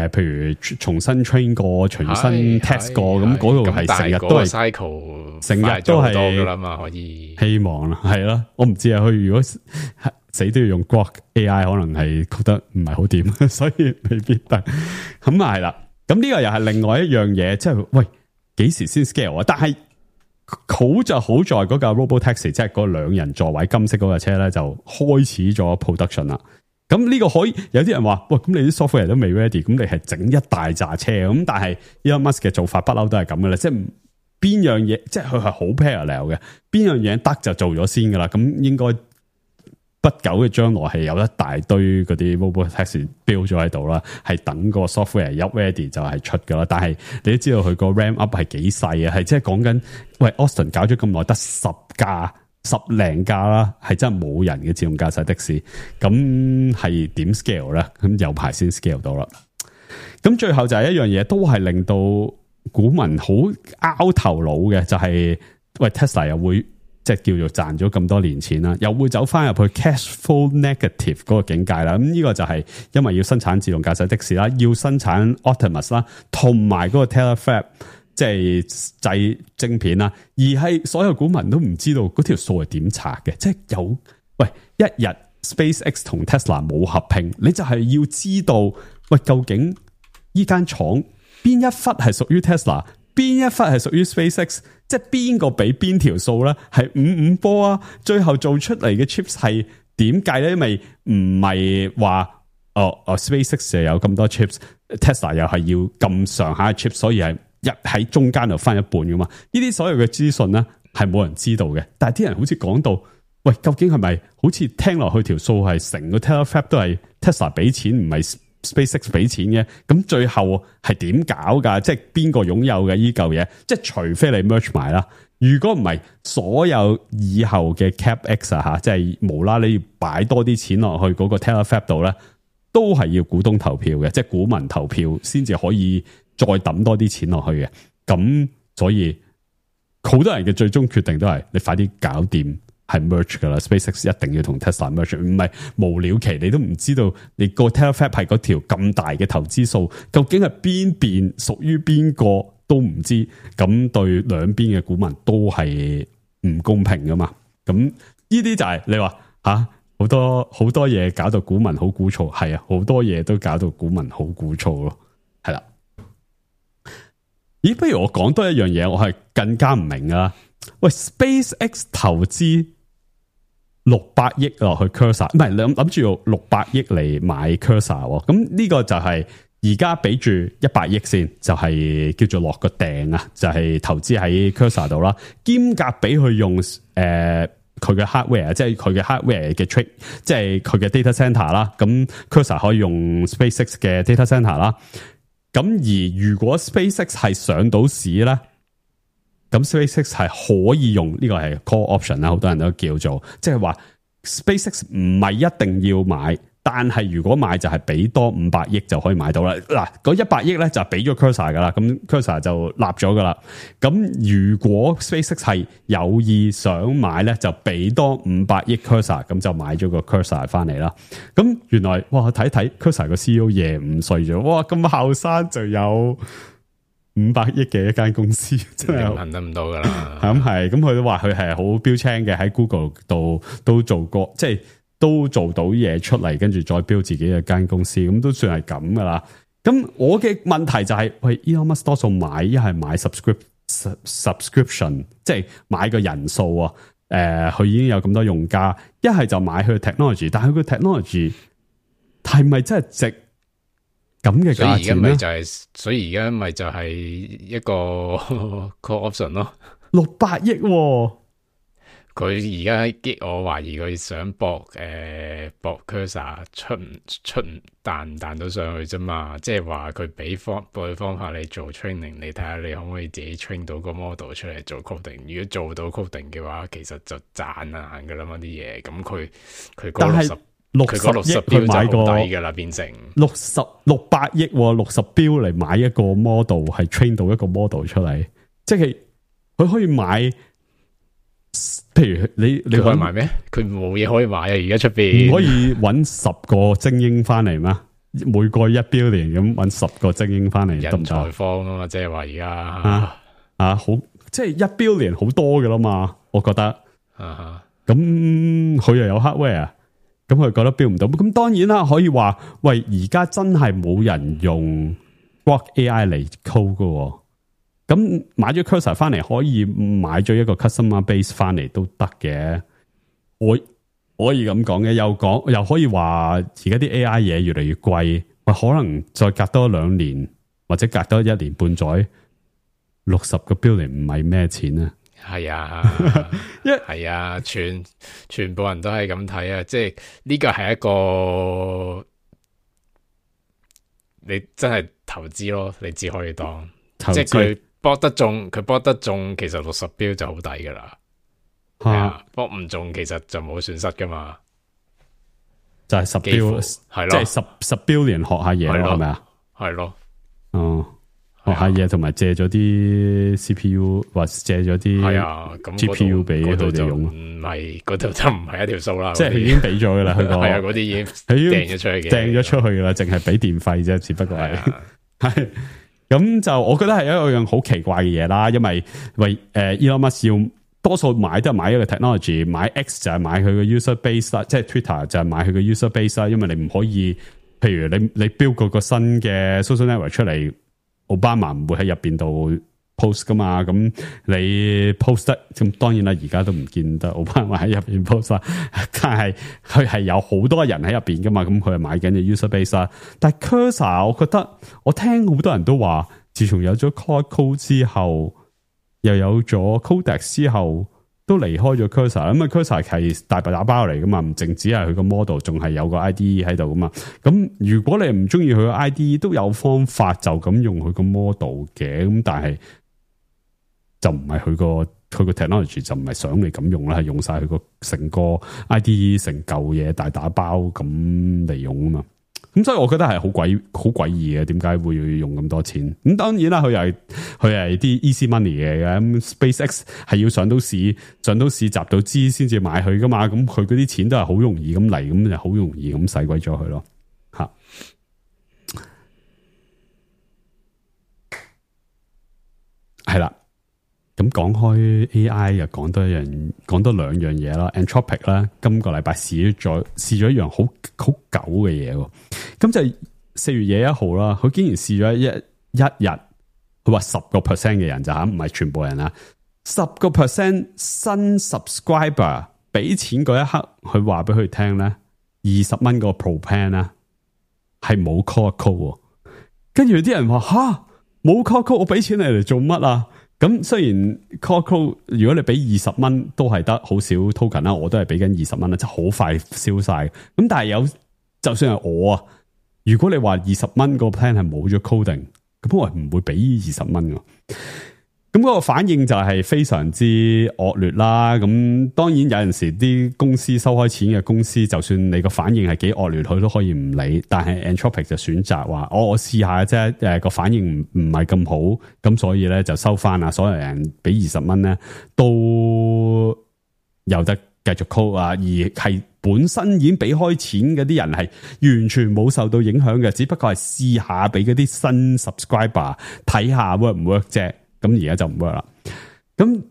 譬如重新 train 過、重新 test 過，咁嗰度係成日都係 cycle， 成日都係多噶啦嘛，可以希望啦，係啦，我唔知啊，佢如果死都要用 Grok AI， 可能係覺得唔係好掂，所以未必得。咁啊係啦，咁呢個又係另外一樣嘢，即係喂幾時先 scale 啊？但係好就好在嗰架 Robotaxi， 即係嗰2人座位金色嗰架車咧，就開始咗 production 啦。咁呢個可以有啲人話，喂，咁你啲 software 都未 ready， 咁你係整一大紮車咁，但係 Elon Musk 嘅做法不嬲都係咁嘅啦，即係邊樣嘢，即係佢係好 parallel 嘅，邊樣嘢得就做咗先噶啦，咁應該不久嘅將來係有一大堆嗰啲 Robotaxi build 咗喺度啦，係等個 software 一 ready 就係出噶啦。但係你都知道佢個 ramp up 係幾細啊，係即係講緊，喂 Austin 搞咗咁耐得10零架啦，係真係冇人嘅自動駕駛的士，咁係點 scale 咧？咁有排先 scale 到啦。咁最後就係一樣嘢，都係令到股民好拗頭腦嘅，就係喂 Tesla 又會即係叫做賺咗咁多年錢啦，又會走翻入去 cash flow negative 嗰個境界啦。咁呢個就係因為要生產自動駕駛的士啦，要生產 Optimus 啦，同埋嗰個 Terafab 即係製晶片啦，而係所有股民都唔知道嗰條數係點拆嘅。即係有喂一日 SpaceX 同 Tesla 冇合併，你就係要知道喂究竟呢間廠邊一忽係屬於 Tesla， 邊一忽係屬於 SpaceX， 即係邊個俾邊條數咧？係5-5波啊！最後做出嚟嘅 chips 係點計咧？因為唔係話SpaceX 就有咁多 chips，Tesla 又係要咁上下嘅 chips， 所以係一喺中間就分一半噶嘛。呢啲所有嘅資訊咧係冇人知道嘅，但係啲人好似講到，喂，究竟係咪好似聽落去條數係成個 Terafab 都係 Tesla 俾錢，唔係 SpaceX 俾錢嘅？咁最後係點搞噶？即係邊個擁有嘅呢嚿嘢？即係除非你 merge 埋啦，如果唔係，所有以後嘅 CapEx 啊吓，即係無啦你要擺多啲錢落去嗰個 Terafab 度咧，都係要股東投票嘅，即係股民投票先至可以再抌多啲錢落去嘅。咁所以好多人嘅最終決定都係你快啲搞掂。係 merge 噶啦 ，SpaceX 一定要同 Tesla merge， 唔係無了期，你都唔知道你個 Terafab 係嗰條咁大嘅投資數，究竟係邊邊屬於邊個都唔知，咁對兩邊嘅股民都係唔公平噶嘛？咁呢啲就係你話吓好多嘢搞到股民好鼓噪，係啊，好多嘢都搞到股民好鼓噪咯，係啦。咦，不如我講多一樣嘢，我係更加唔明啊！喂 ，SpaceX 投資600億落去 Cursor， 唔係諗住用600億嚟買 Cursor， 咁呢個就係而家俾住100億先，就係叫做落個訂啊，就係投資喺 Cursor 度啦，兼夾俾佢用佢嘅 hardware， 即係佢嘅 hardware 嘅 trade， 即係佢嘅 data center 啦，咁 Cursor 可以用 SpaceX 嘅 data center 啦，咁而如果 SpaceX 係上到市咧，咁 SpaceX 係可以用呢個係 call option 啦，好多人都叫做，即係話 SpaceX 唔係一定要買，但係如果買就係俾多500億就可以買到啦。嗱，嗰100億咧就俾咗 Cursor 噶啦，咁 Cursor 就立咗噶啦。咁如果 SpaceX 係有意想買咧，就俾多500億 Cursor， 咁就買咗個 Cursor 翻嚟啦。咁原來哇，睇睇 Cursor 個 CEO 廿5歲咗，哇，咁後生就有500億嘅一間公司，真係行得唔到噶啦。咁係，咁佢都話佢係好標青嘅，喺 Google 度都做過，即係都做到嘢出嚟，跟住再標自己嘅間公司，咁都算係咁噶啦。咁我嘅問題就係，喂 Elon Musk 多數買一係買 subscription， 即係買個人數啊。佢已經有咁多用家，一係就買佢嘅 technology， 但係佢嘅 technology 係咪真係值咁嘅價錢咧？所以而家咪就係一個 call option 咯，600億喎。佢而家激我懷疑佢想搏 Cursor 出唔彈到上去啫嘛，即係話佢俾方法你做 training， 你睇下你可唔可以自己 train 到個 model 出嚟做 coding， 如果做到 coding 嘅話，其實就賺硬噶啦嘛啲嘢，咁佢嗰60標就好抵噶啦，變成600億60標嚟買一個 model， 係 train 到一個 model 出嚟，即係佢可以買譬如你可以買咩？佢冇嘢可以買啊！而家出邊唔可以揾10個精英翻嚟咩？每個1 billion 咁揾10個精英翻嚟，人才荒啊嘛！即係話而家好，即係1 billion 好多噶啦嘛，我覺得。咁佢又有 hardware，咁佢覺得 build 唔到。咁當然啦，可以話喂，而家真係冇人用 Grok AI 嚟 code 噶。咁買咗 Cursor 翻嚟，可以買咗一個 customer base 翻嚟都得嘅。我可以咁講嘅，又可以話而家啲 AI 嘢越嚟越貴，可能再隔多2年或者隔多1年半載，60個 billion 唔係咩錢啊？係啊，係啊，全部人都係咁睇啊！即係呢個係一個你真係投資咯，你只可以當即係佢博得中，其實60標就好抵噶啦。係啊，博唔中其實就冇損失噶嘛。就係10標，係咯，即係10 billion 學下嘢咯，係咪啊？係咯，學下嘢同埋借咗啲 CPU 或借咗啲 GPU 俾佢哋用。唔係嗰度就唔係一條數啦，即係佢已經俾咗噶啦，佢係啊，嗰啲已經掟咗出去嘅，掟咗出去噶啦，淨係俾電費啫，只不過係咁就我覺得係一樣好奇怪嘅嘢啦，因為Elon Musk 要多數買都係買一個 technology， 買 X 就係買佢嘅 user base 啦，即係 Twitter 就係買佢嘅 user base 啦，因為你唔可以，譬如你 build 嗰個新嘅 social network 出嚟。奧巴馬唔會喺入邊度 post 噶嘛，咁你 post 得咁當然啦，而家都唔見得奧巴馬喺入邊 post 啦，但係佢係有好多人喺入邊噶嘛，咁佢係買緊嘅 user base 啦。但係 Cursor 我覺得我聽好多人都話，自從有咗 Claude Code 之後，又有咗 Codex 之後，都離開咗 Cursor， 咁啊 Cursor 係大白打包嚟噶嘛，唔淨止係佢個 model， 仲係有個 IDE 喺度噶嘛。咁如果你唔中意佢個 IDE， 都有方法就咁用佢個 model 嘅，咁但係就唔係佢個 technology 就唔係想你咁用啦，係用晒佢個成個 IDE 成嚿嘢大打包咁嚟用啊嘛。咁所以我覺得係好詭異嘅，點解會用咁多錢？咁當然啦，佢係啲 easy money 嘅。咁 SpaceX 係要上到市集到資先至買佢噶嘛。咁佢嗰啲錢都係好容易咁嚟，咁就好容易咁使鬼咗佢咯。吓，係啦。咁講開 AI 又講多兩樣嘢啦。Anthropic 啦，今個禮拜試咗一樣好狗嘅嘢。咁就係4月21號啦，佢竟然試咗一日，佢話10% 嘅人就唔係全部人啦，10% 新 subscriber 俾錢嗰一刻，佢話俾佢聽咧，20蚊個 Pro Plan 咧係冇 Claude Code，跟住啲人話吓冇 Claude Code，我俾錢你嚟做乜啊？咁雖然 Claude Code 如果你俾20蚊都係得好少 token 啦，我都係俾緊20蚊啦，即係好快燒晒。咁但係就算係我啊，如果你話20蚊個 plan 係冇咗 coding，咁我係唔會俾20蚊㗎。咁嗰個反應就係非常之惡劣啦。咁當然有陣時啲公司收開錢嘅公司，就算你個反應係幾惡劣，佢都可以唔理。但係 Anthropic 就選擇話，我試下啫，個反應唔係咁好，咁所以咧就收翻啦。所有人俾20蚊咧，都有得繼續 code 啊，而係本身已經俾開錢嗰啲人係完全冇受到影響嘅，只不過係試下俾嗰啲新 subscriber 睇下 work 唔 work 啫。咁而家就唔 work 啦。咁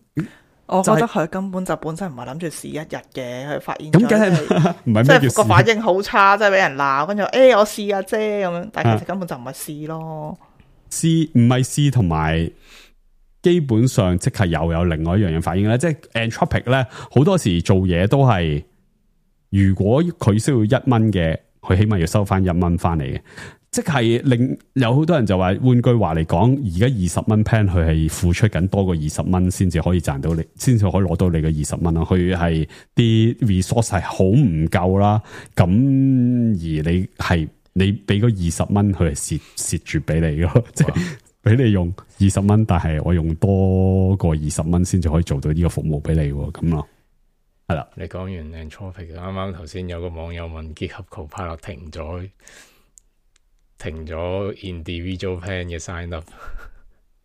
我覺得佢根本就本身唔係諗住試一日嘅，佢發現咁梗係唔係即係個反應好差，即係俾人鬧，跟住我試下啫咁樣，但係其實根本就唔係試咯。試唔係試，同埋基本上即係又有另外一樣嘢反應咧。即係 Anthropic 咧，好多時做嘢都係，如果佢需要1蚊嘅，佢起碼要收翻1蚊翻嚟嘅。即係令有好多人就話，換句話嚟講，而家20蚊 plan 佢係付出緊多過20蚊先至可以賺到你，先至可以攞到你嘅20蚊咯。佢係啲 resource 係好唔夠啦。咁而你俾嗰20蚊，佢係蝕住俾你咯，即係俾你用20蚊，但係我用多過20蚊先至可以做到呢個服務俾你咁咯。係啦，你講完 Anthropic， 啱啱頭先有個網友問 GitHub Copilot 停咗 individual plan 嘅 sign up，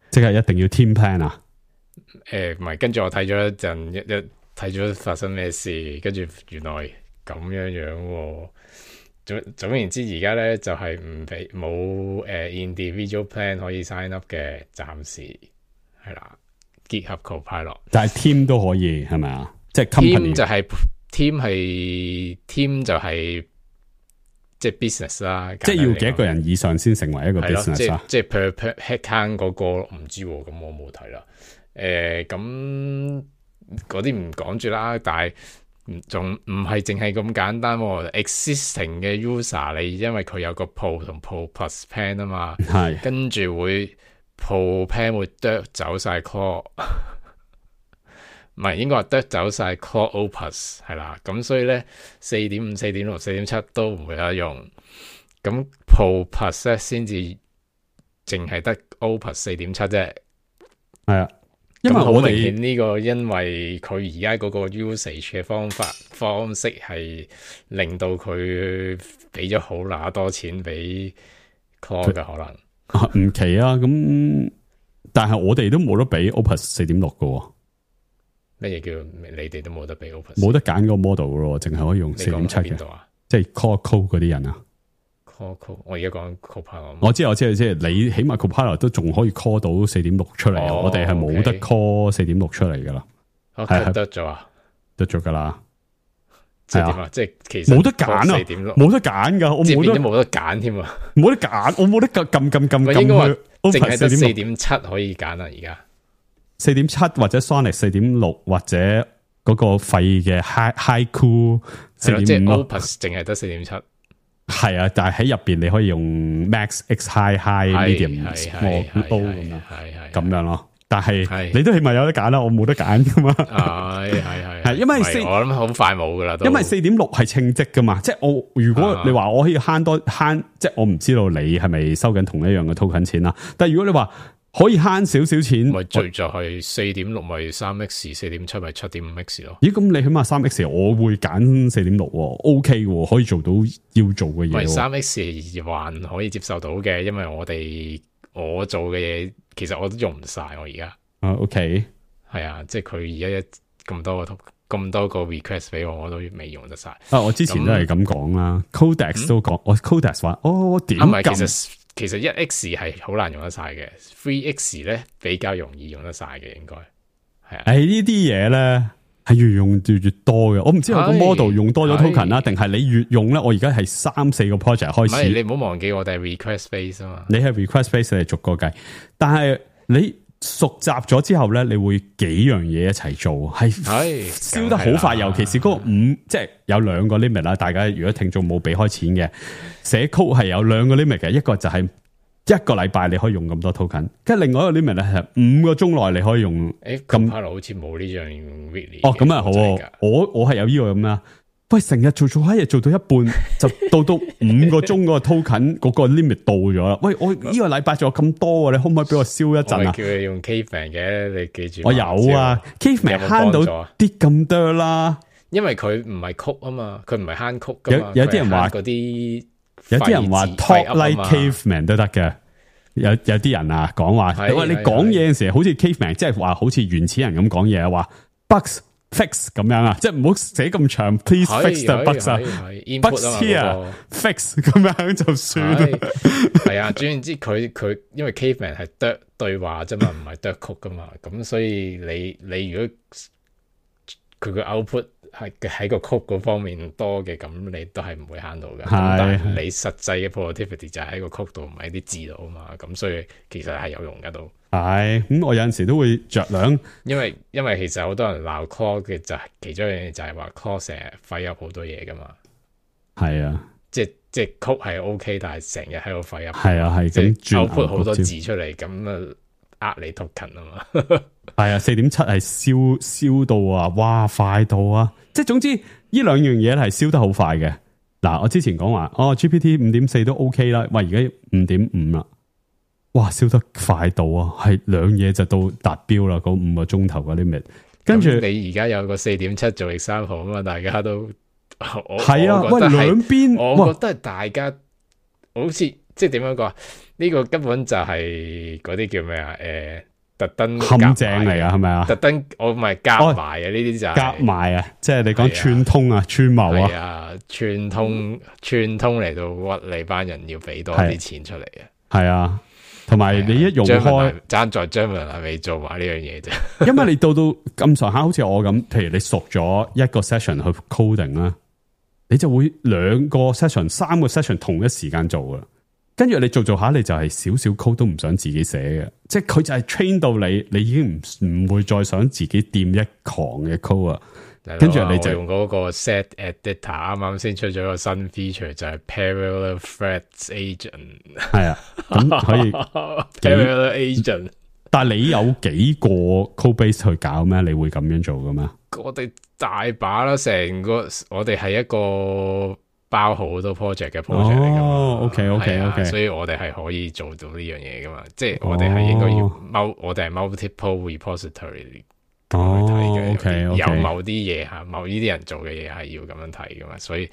即係一定要 team plan 啊？唔係，跟住我睇咗一陣睇咗發生咩事，跟住原來咁樣喎。總言之，而家咧就係唔俾冇individual plan 可以 sign up 嘅，暫時係啦，結合 Copilot，但係 team 都可以係咪啊？即係 team 就係 team 就係即係 business 啦，即係要幾多個人以上先成為一個 business 啊？即係 per head count 嗰個唔知喎，咁我冇睇啦。咁嗰啲唔講住啦，但係仲唔係淨係咁簡單喎。existing 嘅 user 你因為佢有個 Pro 同 Pro Plus plan 啊嘛，係跟住會 Pro plan 會剁走晒 Core， 唔係應該話剁走晒 Core Opus 係啦。咁所以咧4.5、4.6、4.7都唔會有得用。咁 Pro Plus 咧先至淨係得 Opus 4.7啫，係啊。因為我哋呢個，因為佢而家嗰個 usage 嘅方式係令到佢俾咗好乸多錢俾 Core 嘅可能唔奇啊。咁但係我哋都冇得俾 Opus 4.6嘅。咩嘢叫你哋都冇得俾 Opus？ 冇得揀個 model 咯，淨係可以用4.7嘅。即係 Core Code 嗰啲人啊。我而家講 Copilot， 我知，即係你起碼 Copilot 都仲可以 call 到4.6出嚟，我哋係冇得 call 4.6出嚟噶啦，係得咗啊，得咗噶啦，即係點啊？即係其實冇得揀啊，冇得揀噶，我冇得揀添啊，冇得揀，我冇得撳，應該話淨係得4.7可以揀啊，而家4.7或者 Sonic 4.6或者嗰個廢嘅 Haiku 4.5，即係 Opus 淨係得4.7。係啊，但係喺入邊你可以用 Max、X、High、Medium、Small、Low 咁樣咯。但係你都起碼有得揀啦，我冇得揀噶嘛。係因為我諗好快冇噶啦。因為4.6係稱職噶嘛，即係我如果你話我可以慳，即係我唔知道你係咪收緊同一樣嘅 token 錢啦。但係如果你話可以慳少少錢，咪最就係4.6咪3X， 4.7咪7.5X 咯。咦，咁你起碼3X， 我會揀4.6，OK 喎，可以做到要做嘅嘢。咪3X 還可以接受到嘅，因為我做嘅嘢其實我都用唔晒我而家。OK， 係啊，即係佢而家咁多個 request 俾我都未用得晒。我之前都係咁講啦 ，Codex 都講，我 Codex 話，點撳？其實 1X 係好難用得晒嘅 ，3X 咧比較容易用得晒嘅，應該係啊。呢啲嘢咧係越用越多嘅，我唔知我個 model 用多咗 token 啦，定係你越用咧？我而家係3-4個 project 開始。你唔好忘記我哋係 request base 啊嘛。你係 request base 你逐個計，但係你熟習咗之後咧，你會幾樣嘢一齊做，係燒得好快。尤其是嗰個即係有2個 limit 啦。大家如果聽眾冇俾開錢嘅，寫 code 係有2個 limit 嘅，一個就係1個禮拜你可以用咁多 token， 跟住另外一個 limit 咧係5個鐘內你可以用。咁好似冇呢樣 really。咁啊好，我係有呢個咁啦。喂，成日做一日做到一半，就到5個鐘嗰個 token 嗰個 limit 到咗啦。喂，我呢個禮拜仲有咁多，你可唔可以俾我燒一陣啊？叫你用 Caveman 嘅，你記住。我有啊 ，Caveman 慳到啲咁多啦。因為佢唔係曲啊嘛，佢唔係慳曲噶嘛。有啲人話嗰啲，有啲人話 talk like Caveman 都得嘅。有啲人啊講話，喂，你講嘢嘅時候好似 Caveman， 即係話好似原始人咁講嘢啊，話 bugs。fix 咁樣啊，即係唔好寫咁長 ，please fix the bugs 啊 ，bugs here fix 咁樣就算啦。係啊，總言之佢因為 Caveman 係對話啫嘛，唔係曲噶嘛，咁所以你如果佢個 output 係喺個曲嗰方面多嘅，咁你都係唔會慳到嘅。但係你實際嘅 productivity 就係喺個曲度，唔係啲字度啊嘛，咁所以其實係有用噶都。係咁，我有陣時都會着量，因為其實好多人鬧 Core 嘅就係其中一樣嘢，就係話 Core 成日廢up好多嘢噶嘛。係啊，即係曲係 OK， 但係成日喺度廢 up。係啊，係咁output好多字出嚟，咁啊你 token 啊嘛。係啊，4.7 係燒到啊，哇快到啊！即係總之呢2樣嘢係燒得好快嘅。嗱，我之前講話GPT 5.4 都 OK 啦，喂而家 5.5 啦。哇，燒得快到啊！係2嘢就到達標啦，嗰5個鐘頭嗰啲 limit。跟住你而家有個 4.7 做 example 啊嘛，大家都係啊，喂兩邊，我覺得大家好似即係點樣講？呢個根本就係嗰啲叫咩啊？特登陷阱嚟啊，係咪啊？特登我咪夾埋啊！呢啲就係夾埋啊！即係你講串通啊、串謀啊，串通嚟到屈你班人要俾多啲錢出嚟啊！係啊，同埋你一用開，爭在張文係未做埋呢樣嘢啫。因為你到咁上下，好似我咁，譬如你熟咗一個 session 去 coding 啦，你就會2個 session、3個 session 同一時間做噶。跟住你做下，你就係少少 code 都唔想自己寫嘅，即係佢就係 train 到你已經唔會再想自己掂一行嘅 code 啊。跟住你就用嗰個 set editor， 啱啱先出咗個新 feature 就係 parallel threads agent。係啊，咁可以 parallel agent。但係你有幾個 code base 去搞咩？你會咁樣做噶咩？我哋大把啦，成個我哋係一個包好多 project 嘅 project 嚟噶嘛。OK， 所以我哋係可以做到呢樣嘢噶嘛。即係我哋係應該要我哋係 multiple repository。OK， 有某啲嘢吓，某呢啲人做嘅嘢係要咁樣睇噶嘛，所以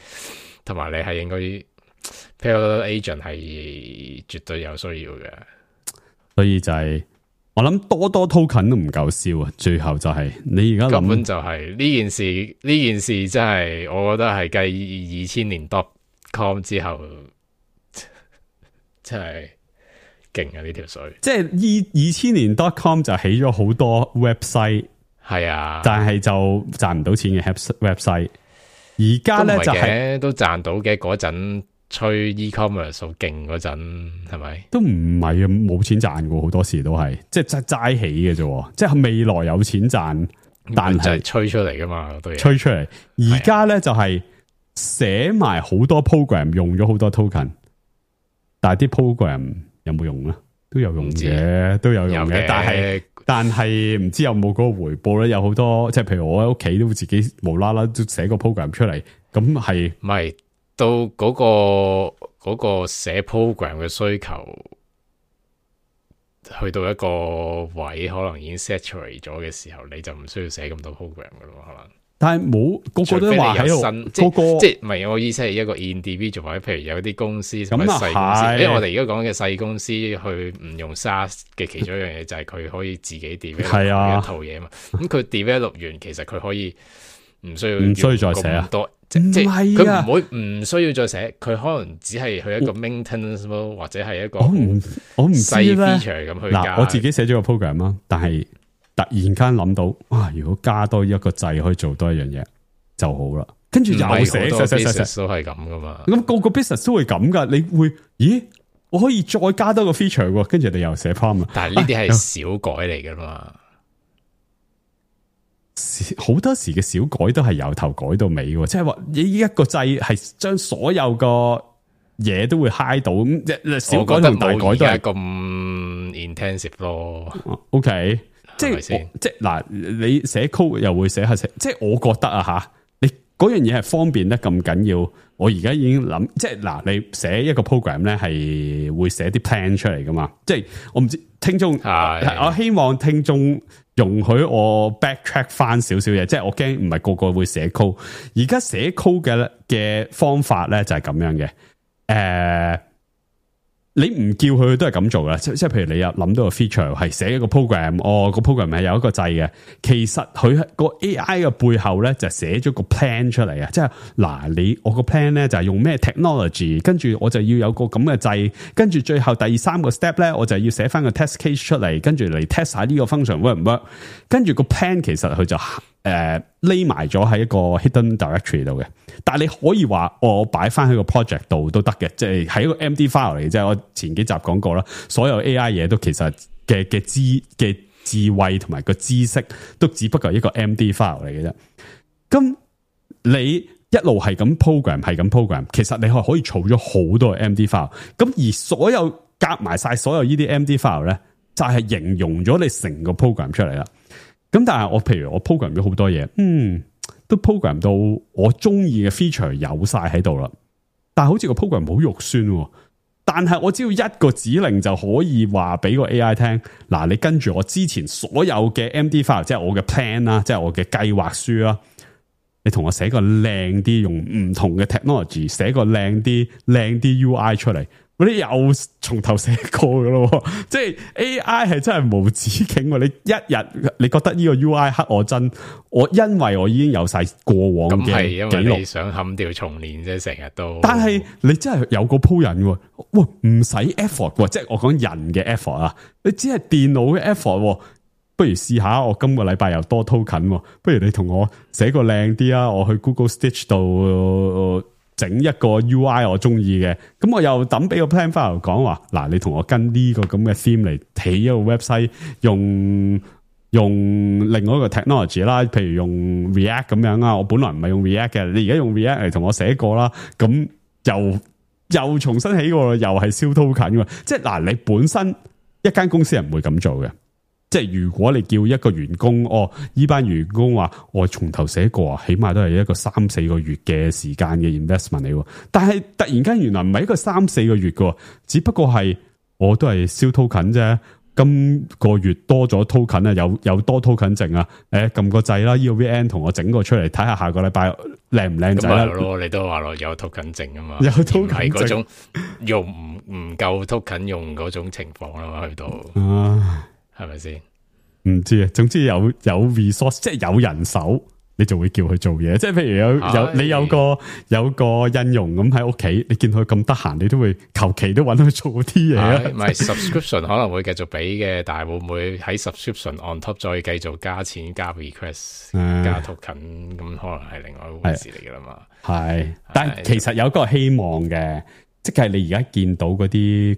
同埋你係應該 parallel agent 係絕對有需要嘅，所以就係我諗多 token 都唔夠燒啊，最後就係你而家根本就係呢件事真係我覺得係繼2000年 .com 之後真係勁啊呢條水，即係2000年 .com 就起咗好多 website。係啊，但係就賺唔到錢嘅 website。而家咧就係都賺到嘅嗰陣，吹 e-commerce 好勁嗰陣，係咪？都唔係啊，冇錢賺嘅，好多時都係即係齋起嘅啫。即係未來有錢賺，但係吹出嚟噶嘛，都吹出嚟。而家咧就係寫埋好多 program， 用咗好多 token， 但係啲 program 有冇用咧？都有用嘅，都有用嘅，但係唔知有冇嗰個回報咧？有好多即係譬如我喺屋企都會自己無啦啦都寫個 program 出嚟，咁係唔係到嗰個寫 program 嘅需求去到一個位，可能已經 saturate 咗嘅時候，你就唔需要寫咁多 program 噶咯，可能。但係冇個個都話喺度，即係唔係我意思係一個 individual 或者譬如有啲公司咁細公司，因為我哋而家講嘅細公司去唔用 SaaS 嘅其中一樣嘢就係佢可以自己 develop 一套嘢嘛。咁佢 develop 完，其實佢可以唔需要再寫啊，即係佢唔會唔需要再寫，佢可能只係去一個 maintenance 或者係一個我唔知咧細 feature 咁去加。嗱，我自己寫咗個 program 啦，但係突然間諗到，哇！如果加多一個掣可以做多一樣嘢就好啦。跟住又寫都係咁噶嘛。咁個 business 都會咁噶。你會咦？我可以再加多個 feature 喎。跟住你又寫 prompt。但係呢啲係小改嚟噶嘛。好多時嘅小改都係由頭改到尾嘅，即係話你一個掣係將所有個嘢都會 high 到。咁小改同大改都係咁 intensive 咯。OK。即係嗱，你寫 code 又會寫下寫，即係我覺得啊吓，你嗰樣嘢係方便得咁緊要。我而家已經諗，即係嗱，你寫一個 program 咧係會寫啲 plan 出嚟噶嘛？即係我唔知聽眾，我希望聽眾容許我 backtrack 翻少少嘢，即係我驚唔係個個會寫 code。而家寫 code 嘅方法咧就係咁樣嘅，你唔叫佢都係咁做噶，即係譬如你有諗到個 feature 係寫一個 program，個 program 係有一個掣嘅，其實佢個 AI 嘅背後咧就寫咗個 plan 出嚟啊！即係嗱，我個 plan 咧就係用咩 technology， 跟住我就要有個咁嘅掣，跟住最後第3個 step 咧，我就要寫翻個 test case 出嚟，跟住嚟 test 下呢個 function work 唔 work， 跟住個 plan 其實佢就匿埋咗喺一個 hidden directory 度嘅，但係你可以話我擺翻喺個 project 度都得嘅，即係喺一個 MD file 嚟，即係我前幾集講過啦，所有 AI 嘢都其實嘅智慧同埋個知識都只不過係一個 MD file 嚟嘅啫。咁你一路係咁 program， 其實你係可以儲咗好多 MD file。咁而所有夾埋晒所有呢啲 MD file 咧，就係形容咗你成個 program 出嚟啦。咁但係譬如我 program 咗好多嘢，都 program 到我中意嘅 feature 有晒喺度啦。但係好似個 program 好肉酸，但係我只要一個指令就可以話俾個 AI 聽，嗱，你跟住我之前所有嘅 MD file， 即係我嘅 plan 啦，即係我嘅計劃書啦，你同我寫個靚啲，用唔同嘅 technology 寫個靚啲 UI 出嚟，嗰啲又從頭寫過噶咯。即係 AI 係真係無止境。你一日你覺得呢個 UI 黑我真，因為我已經有晒過往嘅記錄。咁係因為你想砍掉重練啫，成日都。但係你真係有個鋪人喎，喂，唔使 effort 喎，即係我講人嘅 effort 啊，你只係電腦嘅 effort 喎。不如試下，我今個禮拜又多 token，不如你同我寫個靚啲啊！我去 Google Stitch 度整一個 UI 我中意嘅，咁我又抌俾個 plan file 講話，嗱，你同我跟呢個咁嘅 theme 嚟起一個 website，用另外一個 technology 啦，譬如用 React 咁樣啊，我本來唔係用 React 嘅，你而家用 React 嚟同我寫過啦，咁又重新起過，又係燒 token 嘅，即係嗱，你本身一間公司係唔會咁做嘅。即係如果你叫一個員工，呢班員工話我從頭寫過啊，起碼都係一個3-4個月嘅時間嘅 investment 嚟。但係突然間原來唔係一個3-4個月嘅，只不過係我都係燒 token 啫。今個月多咗 token 啊，有多 token 剩啊，撳個掣啦，呢個 VN 同我整個出嚟睇下，下個禮拜靚唔靚仔啦。咯，你都話咯，有 token 剩啊嘛，有 token 係嗰種用唔夠 token 用嗰種情況啦嘛，去到係咪先？唔知啊，總之有 resource， 即係有人手，你就會叫佢做嘢。即係譬如你有個印傭咁喺屋企，你見佢咁得閒，你都會求其都揾佢做啲嘢啊。唔係 subscription 可能會繼續俾嘅，但係會唔會喺 subscription on top 再繼續加錢、加 request、加 token， 咁可能係另外一回事嚟噶啦嘛。係，但係其實有一個希望嘅。即係你而家見到嗰啲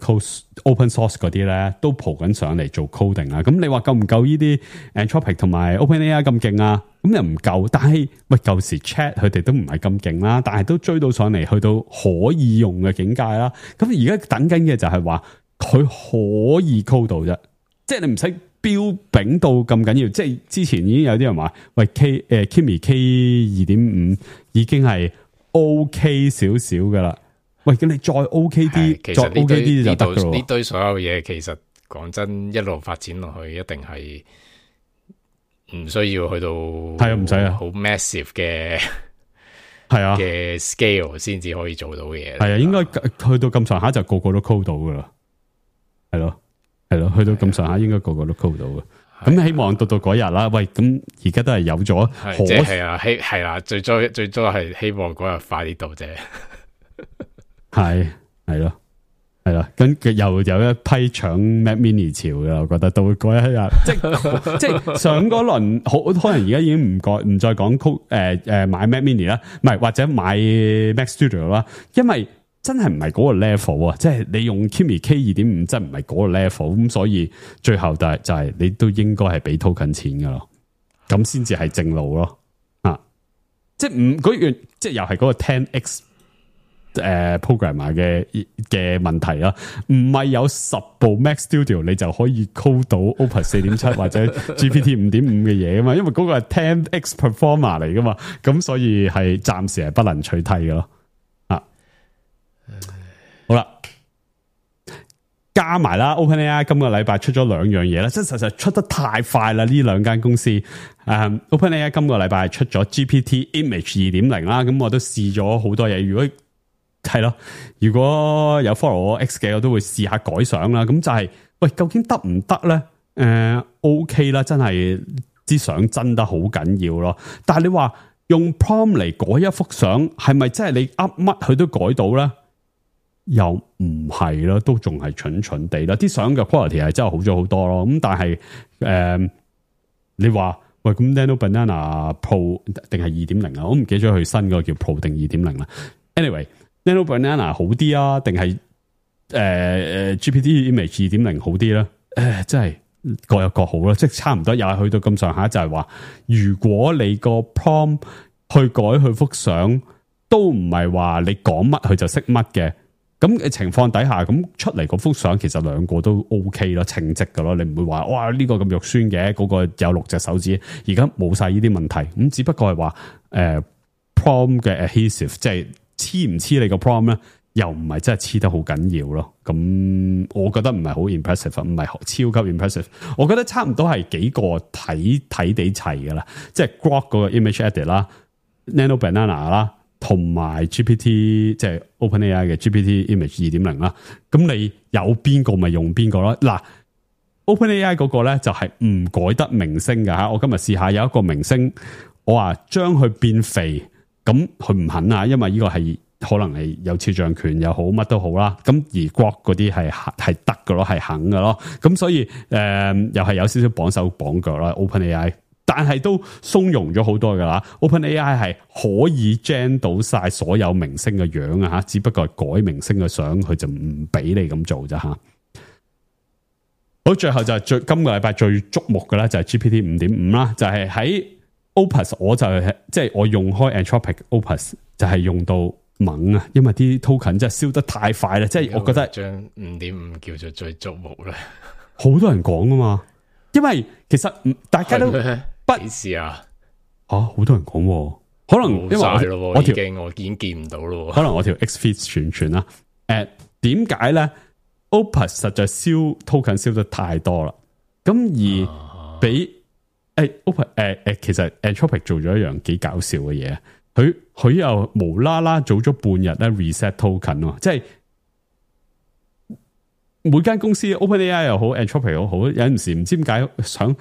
open source 嗰啲咧，都蒲緊上嚟做 coding 啊！咁你話夠唔夠呢啲 Anthropic 同埋 OpenAI 咁勁啊？咁又唔夠，但係喂舊時 Chat 佢哋都唔係咁勁啦，但係都追到上嚟，去到可以用嘅境界啦。咁而家等緊嘅就係話佢可以 code 到啫，即係你唔使標炳到咁緊要。即係之前已經有啲人話，喂 Kimi K 2.5 已經係 OK 少少噶啦。喂，咁你再 OK 啲，再 OK 啲就得噶咯。呢堆所有嘢，其實講真，一路發展落去，一定係唔需要去到係啊，唔使啊，好 massive 嘅係啊嘅 scale 先至可以做到嘅嘢。係啊，應該去到咁上下就個個都 code 到噶啦。係咯，係咯，去到咁上下應該個個都 code 到嘅。咁希望到嗰日啦。喂，咁而家都係有咗，即係啊，係啦，最多係希望嗰日快啲到啫。係咯，咁又有一批搶 Mac Mini 潮嘅，我覺得到嗰一日，即係上嗰輪，可能而家已經唔再講買 Mac Mini 啦，唔係或者買 Mac Studio 啦，因為真係唔係嗰個 level 啊，即係你用 Kimi K 2.5 真唔係嗰個 level，咁所以最後就係你都應該係俾 token 錢噶咯，咁先至係正路咯，即係嗰樣，即係又係嗰個 10x。programmer 嘅問題啦，唔係有10部 Mac Studio 你就可以 code 到 Opus 4.7 或者 GPT 5.5 嘅嘢噶嘛，因為嗰個係 10x performer 嚟噶嘛，咁所以係暫時係不能取替嘅咯。好啦，加埋啦 OpenAI 今個禮拜出咗2樣嘢啦，即係實在出得太快啦，呢兩間公司。OpenAI 今個禮拜出咗 GPT Image 2.0 啦，咁我都試咗好多嘢，如果有 follow 我 X 嘅，我都會試下改相啦。咁就係，喂，究竟得唔得咧？OK 啦，真係啲相真得好緊要咯。但係你話用 prompt 嚟改一幅相，係咪真係你 up 乜佢都改到咧？又唔係咯，都仲係蠢蠢地啦。啲相嘅 quality 係真係好咗好多咯。咁但係你話喂，咁 Nano Banana Pro 定係 2.0 啊？我唔記得咗佢新嗰個叫 Pro 定 2.0 啦。Anyway。Nano Banana 好啲啊，定係GPT Image 2.0 好啲咧？真係各有各好啦，即係差唔多，又係去到咁上下，就係話，如果你個 prompt 去改佢幅相，都唔係話你講乜佢就識乜嘅，咁嘅情況底下，咁出嚟嗰幅相其實兩個都 OK 咯，稱職噶咯，你唔會話哇呢個咁肉酸嘅，嗰個有6隻手指，而家冇晒呢啲問題，咁只不過係話prompt 嘅 adhesive 即係。黐唔黐你個 prompt 咧，又唔係真係黐得好緊要咯。咁我覺得唔係好 impressive， 唔係超級 impressive。我覺得差唔多係幾個睇地齊噶啦，即係 Grok 嗰個 image edit 啦 Nano Banana 啦，同埋 GPT 即係 OpenAI 嘅 GPT Image 2.0 啦。咁你有邊個咪用邊個咯？嗱 ，OpenAI 嗰個咧就係唔改得明星㗎吓。我今日試下有一個明星，我話將佢變肥，咁佢唔肯啊，因為呢個係可能係有肖像權又好，乜都好啦。咁而 Grok 嗰啲係得㗎咯，係肯㗎咯。咁所以又係有少少綁手綁腳啦 OpenAI。但係都鬆容咗好多噶啦 ，OpenAI 係可以 gen 到晒所有明星嘅樣啊吓，只不過係改明星嘅相，佢就唔俾你咁做咋吓。好，最後就係今個禮拜最矚目嘅咧，就係 GPT 5.5啦，就係喺 Opus， 我就係即係我用開 Anthropic Opus， 就係用到猛啊，因為啲 token 真係燒得太快啦，即係我覺得將 5.5 叫做最矚目啦，好多人講啊嘛，因為其實大家都。幾時啊？好多人講，可能因為我已經見唔到咯。可能我條 X-Feed 傳啦。點解咧 ？Opus 實在燒 token 燒得太多啦。咁而俾Opus 其實 Anthropic 做咗一樣幾搞笑嘅嘢，佢又無啦啦早咗半日咧 reset token 喎，即係。每間公司 OpenAI 又好 Anthropic 又好，有陣時唔知點解想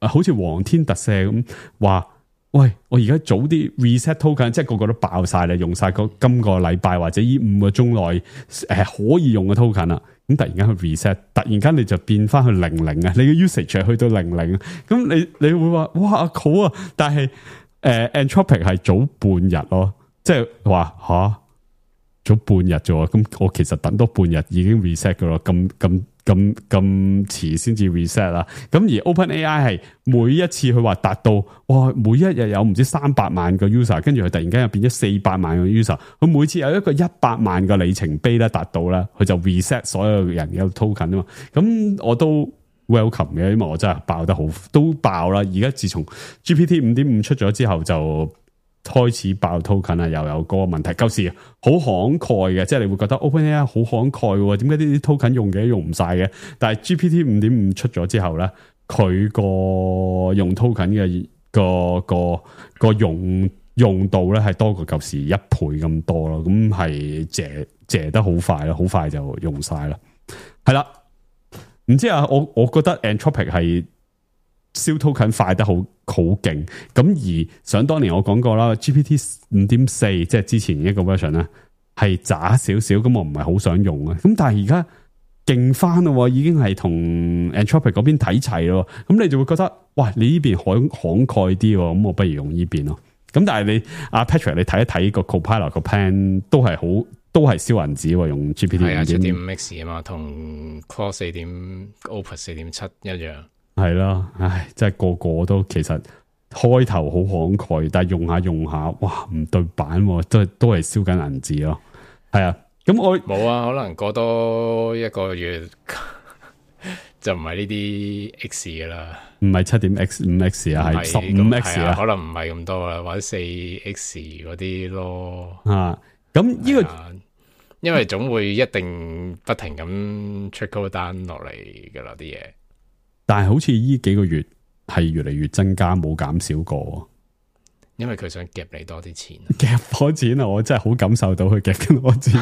好似皇天特赦咁話，喂，我而家早啲 reset token， 即係個個都爆晒啦，用晒今個禮拜或者呢5個鐘內可以用嘅 token 啦，咁突然間去 reset， 突然間你就變翻去00啊，你嘅 usage 去到00，咁你會話哇好啊，但係Anthropic 係早半日咯，即係話吓。咗半日啫，咁我其實等多半日已經 reset 噶咯，咁遲先至 reset 啦。咁而 OpenAI 係每一次佢話達到，哇，每一日有唔知300萬個 user， 跟住佢突然間又變咗400萬個 user， 佢每次有一個100萬個里程碑咧達到咧，佢就 reset 所有人嘅 token 啊嘛。咁我都 welcome 嘅，因為我真係爆得好，都爆啦。而家自從 GPT 5.5 出咗之後就。開始爆 token 啊，又有嗰個問題。舊時好慷慨嘅，即係你會覺得 OpenAI 好慷慨嘅，點解呢啲 token 用嘅用唔晒嘅？但係 GPT 5.5 出咗之後咧，佢個用 token 嘅個用度咧係多過舊時1倍咁多咯。咁係借得好快咯，好快就用晒啦。係啦，唔知啊，我覺得 Anthropic 係。燒 token 快得好勁，咁而想當年我講過啦 ，GPT 5.4 即係之前一個 version 咧係渣少少，咁我唔係好想用啊。咁但係而家勁翻咯，已經係同 Anthropic 嗰邊睇齊咯，咁你就會覺得，哇，你呢邊慷慨啲，咁我不如用呢邊咯。咁但係你阿 Patrick 你睇一睇個 Copilot 個 plan 都係燒銀紙喎，用 GPT 係啊 7.5X 啊嘛，同 Claude 4.Opus 4.7 一樣。係啦，唉，真係個個都其實開頭好慷慨，但係用下，哇，唔對版，都係燒緊銀紙咯。係啊，咁我冇啊，可能過多一個月就唔係呢啲 X 噶啦，唔係 7.5X 啊，係 15X 啊，可能唔係咁多啊，或者 4X 嗰啲咯。咁呢個因為總會一定不停咁 trickle down 落嚟噶啦啲嘢。但係好似呢幾個月係越嚟越增加，冇減少過。因為佢想夾你多啲錢，夾我錢啊！我真係好感受到佢夾緊我錢。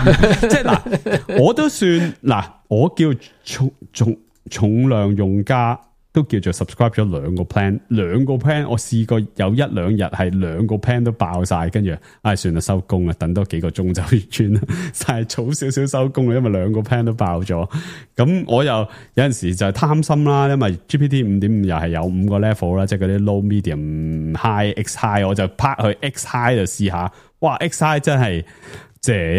即係嗱，我都算嗱，我叫重量用家。都叫做 subscribe 咗2個 plan，我試過有1-2日係2個 plan 都爆晒，跟住算啦，收工啦，等多幾個鐘就轉啦，但係早少少收工啦，因為2個 plan 都爆咗。咁我又有陣時就係貪心啦，因為 GPT 5.5 又係有5個 level 啦，即係嗰啲 low、medium、high、X high， 我就拍去 X high 就試下，哇 X high 真係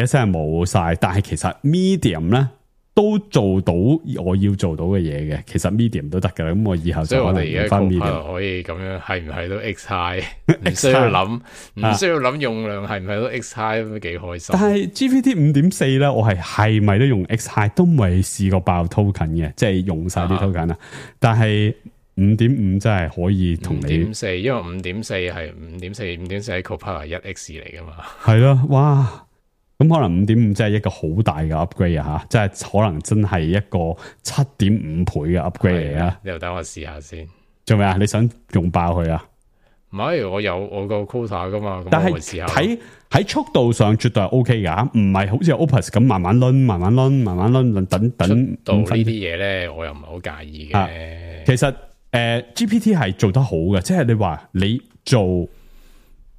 一聲冇晒，但係其實 medium 咧。都做到我要做到嘅嘢嘅，其實 medium 都得噶啦。咁我以後就可能用翻 medium，可以咁樣係唔係都 X high？ 唔需要諗，唔需要諗用量係唔係都 X high 咁幾開心。但係 GPT 5.4 咧，我係咪都用 X high 都未試過爆 token 嘅，即係用晒啲 token 啊。但係 5.5 真係可以同你 5.4， 因為 5.4 係 5.4 係 Copilot 1X 嚟噶嘛。係咯，哇！咁可能 5.5 真係一個好大嘅 upgrade 啊，即係可能真係一個 7.5 倍嘅 upgrade 嚟啊！你又等我試下先。做咩啊？你想用爆佢啊？唔係，我有我個 quota 噶嘛，但係喺速度上絕對係 OK 噶，唔係好似 Opus 咁慢慢輪，等到呢啲嘢咧，我又唔係好介意嘅。其實GPT 係做得好嘅，即係你話你做，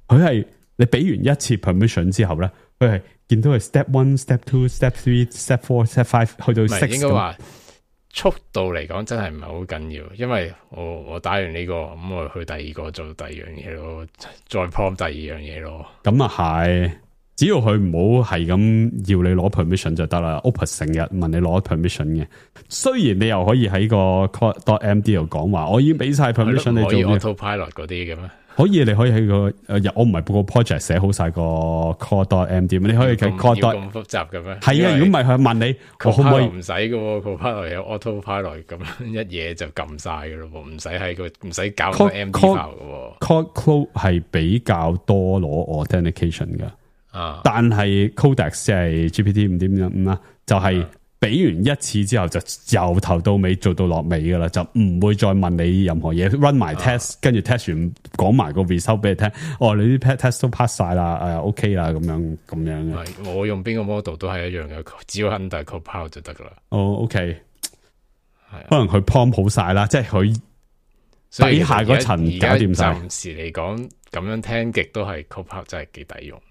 佢係你俾完一次 permission 之後咧，佢係見到係 step 1、step 2、step 3、step 4、step 5去到 6 應該話速度嚟講真係唔係好緊要，因為我打完呢個咁我去第二個做第二樣嘢咯，再 prompt 第二樣嘢咯。咁啊係，只要佢唔好係咁要你攞 permission 就得啦。Opus 成日問你攞 permission 嘅，雖然你又可以喺個 Code.md 度講話，我已經俾晒 permission 你做。可以 autopilot 嗰啲嘅咩？可以，你可以喺個我唔係個 project 寫好晒個 Code.md， 你可以喺 Code 咁複雜嘅咩？係啊，如果唔係佢問你，我可唔可以唔使嘅？Copilot 有 autopilot 咁樣一嘢就撳晒嘅咯，唔使喺個唔使搞個 MD file 嘅。Code 係比較多攞 authentication 嘅，但係 Codex 即係 GPT 5.5啦，就係俾完一次之後就由頭到尾做到落尾噶啦，就唔會再問你任何嘢 ，run 埋 test，跟住 test 完講埋個 result 俾你聽。哦，你啲 test 都 pass 晒啦，OK 啦，咁樣嘅。我用邊個 model 都係一樣嘅，只要 under Copilot 就得噶啦。哦 ，OK， 可能佢 prompt 好晒啦，即係佢底下嗰層搞掂晒。暫時嚟講，咁樣聽極都係 Copilot 真係幾抵用。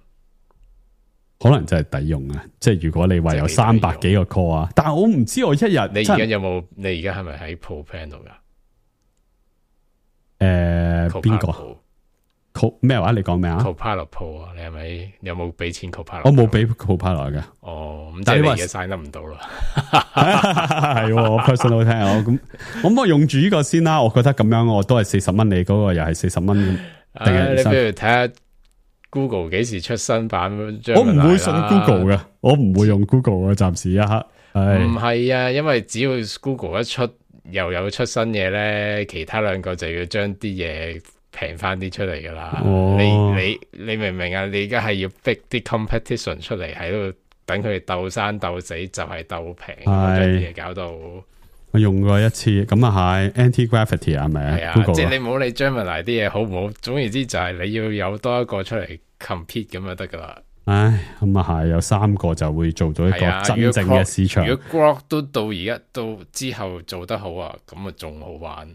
可能真係抵用啊！即係如果你話有300幾個 core 啊，但係我唔知我一日你而家有冇？你而家係咪喺 Pro Plan 度噶？邊個咩話？你講咩啊 ？Copilot Pro 啊，你係咪有冇俾錢 Copilot？我冇俾 Copilot 嘅。哦，咁即係你而家 sign 得唔到啦。係我 personal 聽我咁我用住呢個先啦。我覺得咁樣我都係40蚊，你嗰個又係40蚊。你不如睇下。Google 幾時出新版？我唔會信 Google 嘅，我唔會用 Google 嘅，暫時一刻。唔係啊，因為只要 Google 一出又有出新嘢咧，其他兩個就要將啲嘢平翻啲出嚟噶啦。你明唔明啊？你而家係要逼啲 competition 出嚟喺度等佢哋鬥生鬥死，就係鬥平，將啲嘢搞到。我用過一次，咁啊係 Anti-Gravity 係咪？係啊，即係你唔好理 Gemini 啲嘢好唔好，總言之就係你要有多一個出嚟 compete 咁就得噶啦。唉，咁啊係有3個就會做到一個真正嘅市場。如果 Grok 都到而家到之後做得好啊，咁啊仲好玩。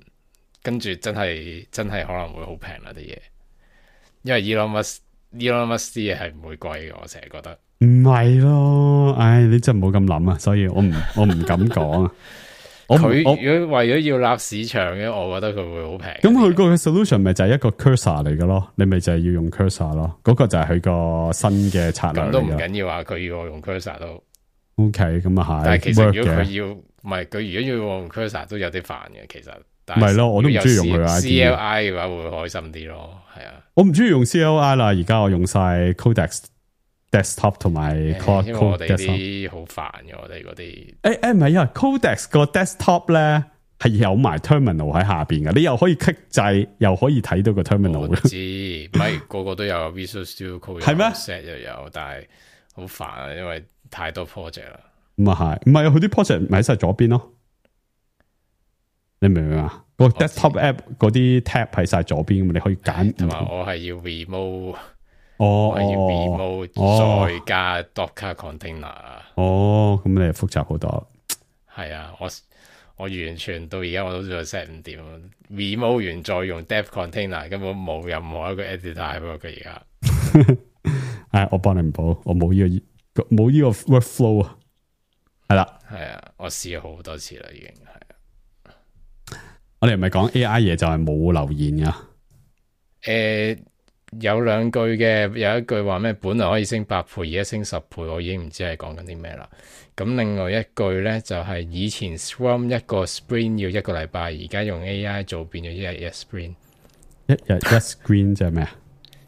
跟住真係可能會好平啦啲嘢，因為 Elon Musk 啲嘢係唔會貴嘅，我成日覺得。唔係咯，唉，你真係唔好咁諗啊，所以我唔敢講啊。佢如果為咗要立市場嘅，我覺得佢會好平。咁佢個 solution 咪就係一個 cursor 嚟嘅咯，你咪就係要用 cursor 咯，嗰個就係佢個新嘅策略嚟嘅。咁都唔緊要啊，佢要我用 cursor 都 OK， 咁啊係。但係其實如果佢要唔係佢如果要用 cursor 都有啲煩嘅，其實。唔係咯，我都唔中意用佢 CLI 嘅話會開心啲咯，係啊。我唔中意用 CLI 啦，而家我用晒 Codex Desktop 同埋 Code。因為我哋啲好煩嘅，我哋嗰啲。唔係啊 ，Codex 個 Desktop 咧係有埋 Terminal 喺下邊嘅，你又可以 click 掣，又可以睇到個 Terminal。我知，唔係個個都有 Visual Studio Code 係咩 set 又有，但係好煩啊，因為太多 project 啦。咁啊係，唔係佢啲 project 咪喺晒左邊咯。你明唔明啊？個 desktop app 嗰啲 tab 喺晒左邊，你可以揀。同埋我係要 remove， 我係要 remove 再加 Docker container。哦，咁你係複雜好多。係啊，我完全到而家我都仲 set 唔掂。remove 完再用 dev container， 根本冇任何一個 editor 喺佢而家。我幫你唔補，我冇呢個 workflow 啊。係啦，係啊，我試咗好多次啦，已經係。我哋唔係講 AI 嘢就係冇留言噶。有兩句嘅，有一句話咩？本來可以升8倍，而家升10倍，我已經唔知係講緊啲咩啦。咁另外一句咧就係以前 Scrum 一個 Sprint 要1個禮拜，而家用 AI 做變咗一日一 Sprint。一日一 Sprint 即係咩啊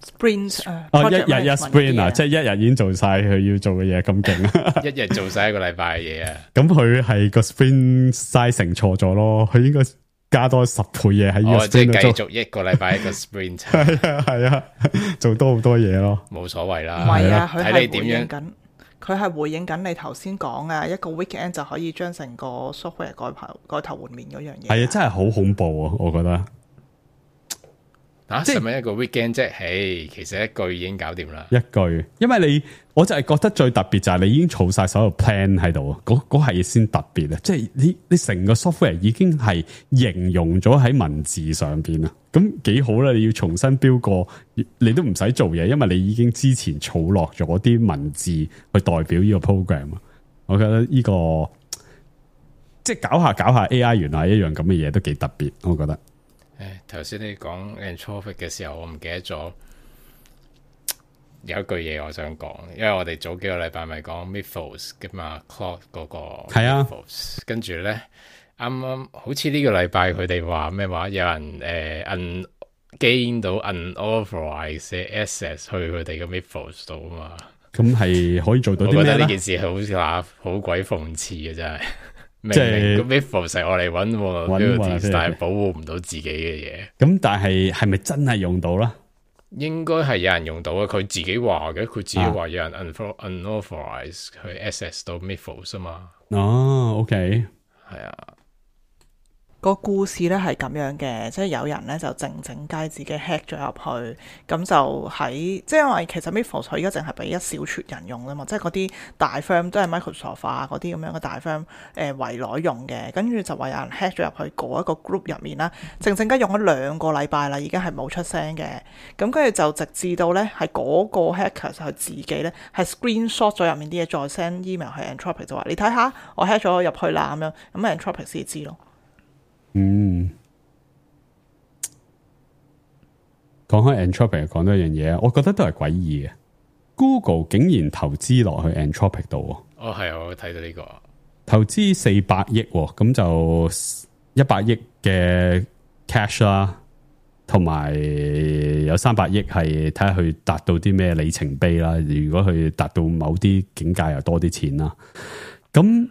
？Sprint 一日一 Sprint 啊，即係一日已經做晒佢要做嘅嘢，咁勁啊！一日做晒1個禮拜嘅嘢啊！咁佢係個 Sprint sizing 錯咗咯，佢應該加多10倍嘢喺呢個 Sprint 度做。即係繼續1個禮拜一個 Sprint。係啊，做多好多嘢咯。冇所謂啦。唔係啊，佢睇你點樣。佢係回應緊你頭先講啊，一個 weekend 就可以將成個 software 改頭換面嗰樣嘢。係啊，真係好恐怖啊！我覺得。即係咪一個 weekend 啫？嘿，其實一句已經搞掂啦。一句，因為我就係覺得最特別就係你已經儲晒所有 plan 喺度，嗰係先特別啊！即係你成個 software 已經係形容咗喺文字上邊啊，咁幾好啦！你要重新標過，你都唔使做嘢，因為你已經之前儲落咗啲文字去代表呢個 program 啊。我覺得呢個即係搞下 AI 原來一樣咁嘅嘢都幾特別，我覺得。頭先你講 Anthropic 嘅時候，我唔記得咗有一句嘢我想講，因為我哋早幾個禮拜咪講 Mythos 嘅嘛 ，Claude 嗰個係啊，跟住咧啱啱好似呢個禮拜佢哋話咩話，有人gain 到 unauthorized access 去佢哋嘅 Mythos 度啊嘛，咁係可以做到啲咩咧？我覺得呢件事好似話好鬼諷刺嘅真係。即係個 Mythos 係我嚟揾，但係保護唔到自己嘅嘢。咁但係咪真係用到啦？應該係有人用到嘅，佢自己話嘅，佢自己話有人 unauthorized 去 access 到 Mythos 啊嘛。哦 ，OK，係啊。個故事咧係咁樣嘅，即係有人咧就靜雞自己 hack 咗入去，咁就喺即係因為其實 Mythos 佢而家淨係俾一小撮人用啦嘛，即係嗰啲大 firm 都係 Microsoft 啊嗰啲咁樣嘅大 firm 圍內用嘅，跟住就話有人 hack 咗入去嗰一個 group 入面啦，靜雞用咗2個禮拜啦，已經係冇出聲嘅，咁跟住就直至到咧係嗰個 hacker 佢自己咧係 screenshot 咗入面啲嘢，再 send email 去 Anthropic 就話你睇下我 hack 咗入去啦咁樣，咁 Anthropic 先知咯。講開 Anthropic 講多一樣嘢，我覺得都係詭異嘅。Google 竟然投資落去 Anthropic 度，係啊，我睇到呢個投資400億，咁就100億嘅 cash 啦，同埋有300億係睇下佢達到啲咩里程碑啦。如果佢達到某啲境界，又多啲錢啦。咁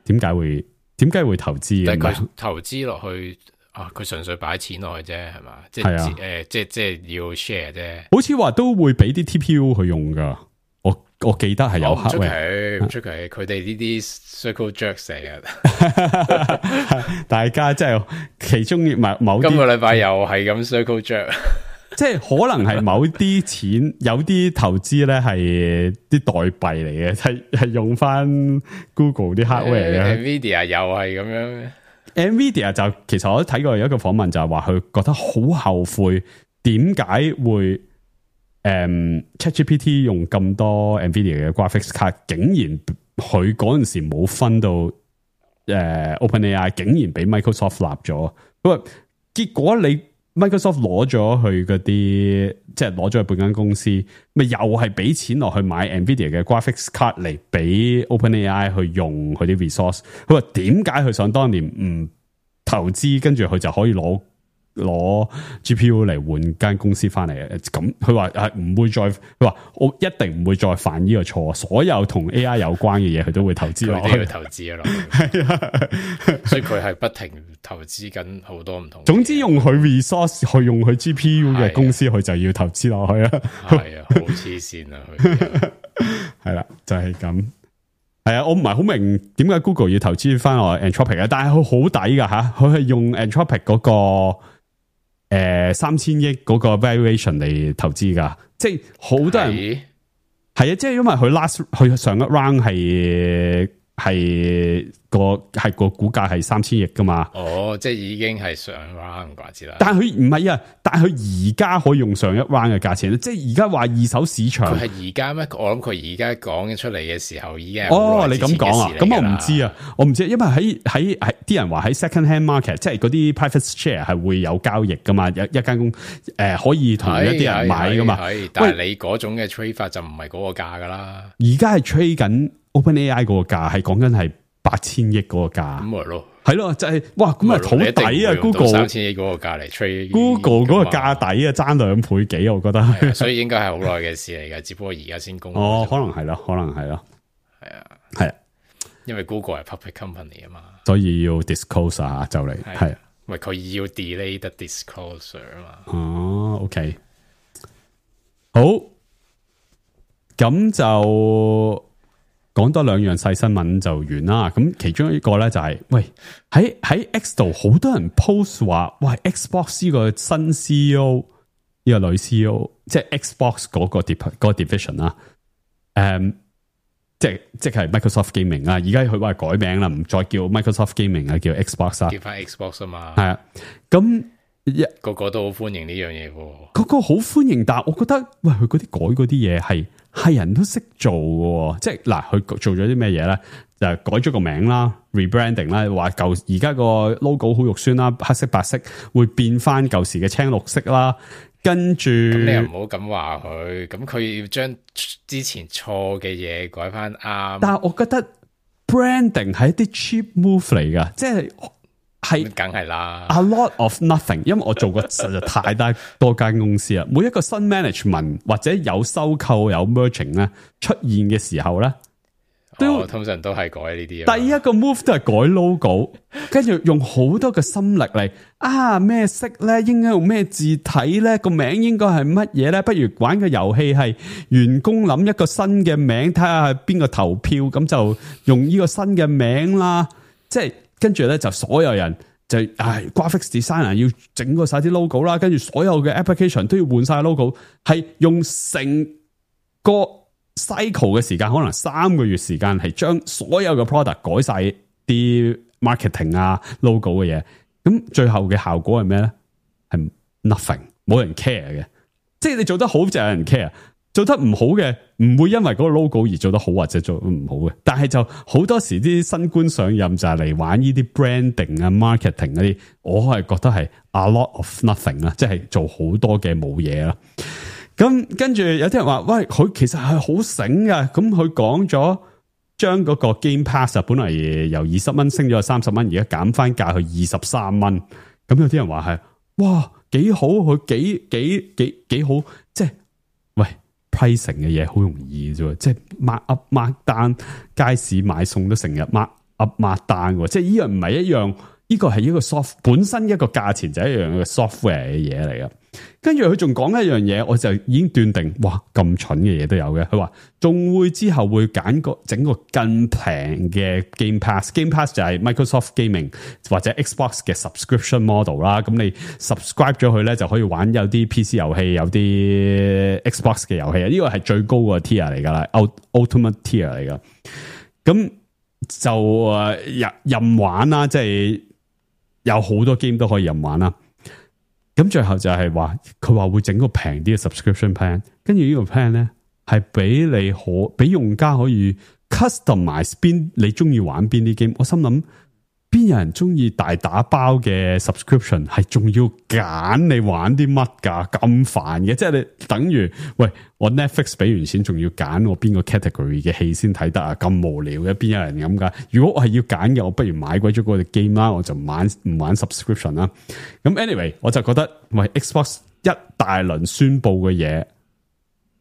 點解會投資？但係佢投資落去啊，佢純粹擺錢落去啫，係嘛？即係即係要 share 啫。好似話都會俾啲 TPU 去用噶。我記得係有客唔出奇，佢哋呢啲 circle jerk 成日，大家即係其中某今個禮拜又係咁 circle jerk。即係可能係某啲錢有啲投資咧係啲代幣嚟嘅，係用翻 Google 啲 hardware 嘅。Nvidia 又係咁樣。Nvidia 就其實我都睇過有一個訪問，就係話佢覺得好後悔，點解會ChatGPT 用咁多 Nvidia 嘅 graphics 卡，竟然佢嗰陣時冇分到OpenAI， 竟然俾 Microsoft 立咗。不過結果你。Microsoft 攞咗去嗰啲，即係攞咗去半間公司，咪又係俾錢落去買 Nvidia 嘅 graphics card 嚟俾 OpenAI 去用佢啲 resource。佢話點解佢想當年唔投資，跟住佢就可以攞 GPU 嚟換間公司翻嚟？咁佢話唔會再，佢話我一定唔會再犯呢個錯。所有同 AI 有關嘅嘢，佢都會投資落去。佢都要投資落去，係啊，所以佢係不停投資緊好多唔同。總之用佢 resource 去用佢 GPU 嘅公司，佢就要投資落去啊。係啊，好黐線啊！佢係啦，就係咁。係啊，我唔係好明點解 Google 要投資翻落 Anthropic 啊，但係佢好抵噶吓，佢係用 Anthropic 嗰個。3000億嗰個 valuation 嚟投資噶，即係好多人係啊，即係因為佢上一 round 係個股價係3000億噶嘛。哦，即係已經係上 round 啩之啦。但係佢唔係啊，但係佢而家可以用上一 round 嘅價錢，即係而家話二手市場。佢係而家咩？我諗佢而家講出嚟嘅時候已經你咁講啊？咁我唔知啊，我唔知，因為喺啲人話喺 second hand market，即係嗰啲 private share 係會有交易噶嘛，一間公可以同一啲人買噶嘛。但係你嗰種嘅 trade 法就唔係嗰個價噶啦。而家係 trade 緊 OpenAI 嗰個價，係講緊係8000億嗰個價。咁咪咯，係咯，就係哇，咁啊好抵啊 ！Google 3000億嗰個價嚟 trade Google 嗰個價抵啊，爭2倍幾，我覺得。所以應該係好耐嘅事嚟嘅，只不過而家先公布。可能係咯，可能係咯，係啊，係啊，因為 Google 係 public company 啊嘛，所以要 disclose 啊，就嚟係，喂，佢要 delay the disclosure 啊嘛。哦，OK， 好，咁就。講多2樣細新聞就完啦。咁其中一個咧就係、是，喂喺 X 度好多人 post 話，喂 Xbox 呢個新 CEO 呢個女 CEO， 即係 Xbox 嗰個 division 啦，即係 Microsoft Gaming 啊，而家佢話改名啦，唔再叫 Microsoft Gaming 啊，叫 Xbox 啊，叫翻 Xbox 啊嘛。係啊，咁個個都好歡迎呢樣嘢喎。個個好歡迎，但係我覺得，喂，佢嗰啲改嗰啲嘢係人都識做嘅，即係嗱，佢做咗啲咩嘢咧？就係改咗個名啦 ，rebranding 啦，話舊而家個 logo 好肉酸啦，黑色白色會變翻舊時嘅青綠色啦。跟住，咁你又唔好咁話佢，咁佢要將之前錯嘅嘢改翻啱。但係我覺得 branding 係一啲 cheap move 嚟噶，即係梗係啦 ，a lot of nothing。因為我做過實在太多間公司啦，每一個新 management 或者有收購有 merging 咧出現嘅時候咧。通常都係改呢啲。第一個 move 都係改 logo， 跟住用好多嘅心力嚟咩色咧，應該用咩字體咧，個名應該係乜嘢咧？不如玩個遊戲係員工諗一個新嘅名，睇下係邊個投票，咁就用呢個新嘅名啦。即係跟住咧就所有人就graphics designer 要整個晒啲 logo 啦，跟住所有嘅 application 都要換晒 logo， 係用成個cycle 嘅時間可能3個月時間，係將所有嘅 product 改晒啲 marketing 啊 logo 嘅嘢，咁最後嘅效果係咩咧？係 nothing， 冇人 care 嘅。即係你做得好就有人 care， 做得唔好嘅唔會因為嗰個 logo 而做得好或者做唔好嘅。但係就好多時啲新官上任就係嚟玩呢啲 branding 啊 marketing 嗰啲，我係覺得係 a lot of nothing 啦，即係做好多嘅冇嘢啦。咁跟住有啲人話，喂，佢其實係好醒㗎。咁佢講咗將嗰個 Game Pass 本來由20蚊升咗30蚊，而家減翻價去23蚊。咁有啲人話係，哇，幾好，佢幾好，即係喂 pricing 嘅嘢好容易啫，即係 mark up mark down，街市買餸都成日 mark up mark down 喎，即係呢樣唔係一樣，呢個係一個 soft 本身一個價錢就係一樣嘅 software 嘅嘢嚟㗎。跟住佢仲講一樣嘢，我就已經斷定，哇，咁蠢嘅嘢都有嘅。佢話仲會之後會整個更平嘅 Game Pass。Game Pass 就係 Microsoft Gaming 或者 Xbox 嘅 subscription model 啦。咁你 subscribe 咗佢咧，就可以玩有啲 PC 遊戲，有啲 Xbox 嘅遊戲啊。呢個係最高個 tier 嚟噶啦 ，Ultimate tier 嚟噶。咁就任玩啦，即係有好多 game 都可以任玩啦。咁最後就係話，佢話會整個平啲嘅 subscription plan， 跟住呢個 plan 咧係俾用家可以 customize 你中意玩邊啲 game。我心諗邊有人中意大打包嘅 subscription， 係仲要揀你玩啲乜噶，咁煩嘅。即係你等於喂，我 Netflix 俾完錢，仲要揀我邊個 category 嘅戲先睇得啊，咁無聊嘅，邊有人咁噶？如果我係要揀嘅，我不如買鬼咗嗰個 game 啦，我就唔玩 subscription 啦。咁 anyway， 我就覺得喂 Xbox 一大輪宣布嘅嘢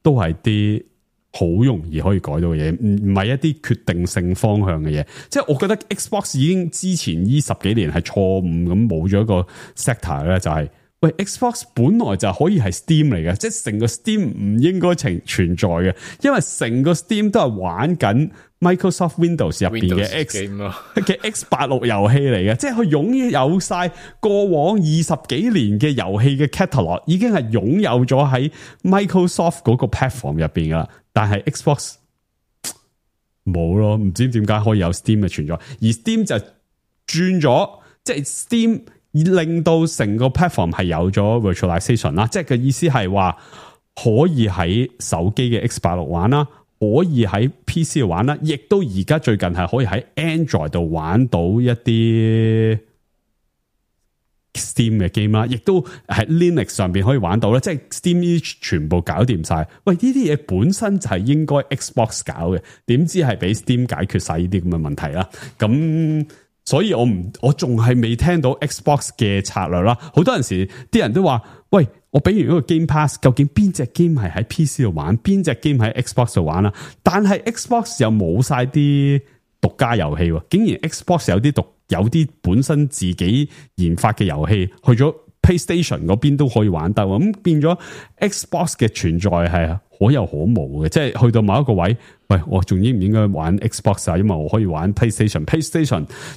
都係啲好容易可以改到嘅嘢，唔係一啲決定性方向嘅嘢。即係我覺得 Xbox 已經之前呢10幾年係錯誤咁冇咗一個 sector 咧，就係喂 Xbox 本來就可以係 Steam 嚟嘅，即係成個 Steam 唔應該存在嘅，因為成個 Steam 都係玩緊 Microsoft Windows 入邊嘅 X86 遊戲嚟嘅，即係佢擁有晒過往20幾年嘅遊戲嘅 catalog， 已經係擁有咗喺 Microsoft 嗰個 platform 入邊噶啦。但係 Xbox 冇咯，唔知點解可以有 Steam 嘅存在，而 Steam 就轉咗，即係 Steam 令到成個 platform 係有咗 virtualization 啦，即係嘅意思係話可以喺手機嘅 X86 玩啦，可以喺 PC 度玩啦，亦都而家最近係可以喺 Android 度玩到一啲 Steam 嘅 game 啦，亦都喺 Linux 上邊可以玩到啦，即係 Steam 全部搞掂晒。喂，呢啲嘢本身就係應該 Xbox 搞嘅，點知係俾 Steam 解決晒呢啲咁嘅問題啦。咁所以我仲係未聽到 Xbox 嘅策略啦。好多陣時啲人都話，喂，我俾完嗰個 Game Pass， 究竟邊隻 game 係喺 PC 度玩，邊隻 game 喺 Xbox 度玩啦？但係 Xbox 又冇晒啲獨家遊戲喎，竟然 Xbox 有啲本身自己研發嘅遊戲去咗 PlayStation 嗰邊都可以玩得，咁變咗 Xbox 嘅存在係可有可無嘅，即係去到某一個位，喂，我仲應唔應該玩 Xbox 啊？因為我可以玩 PlayStation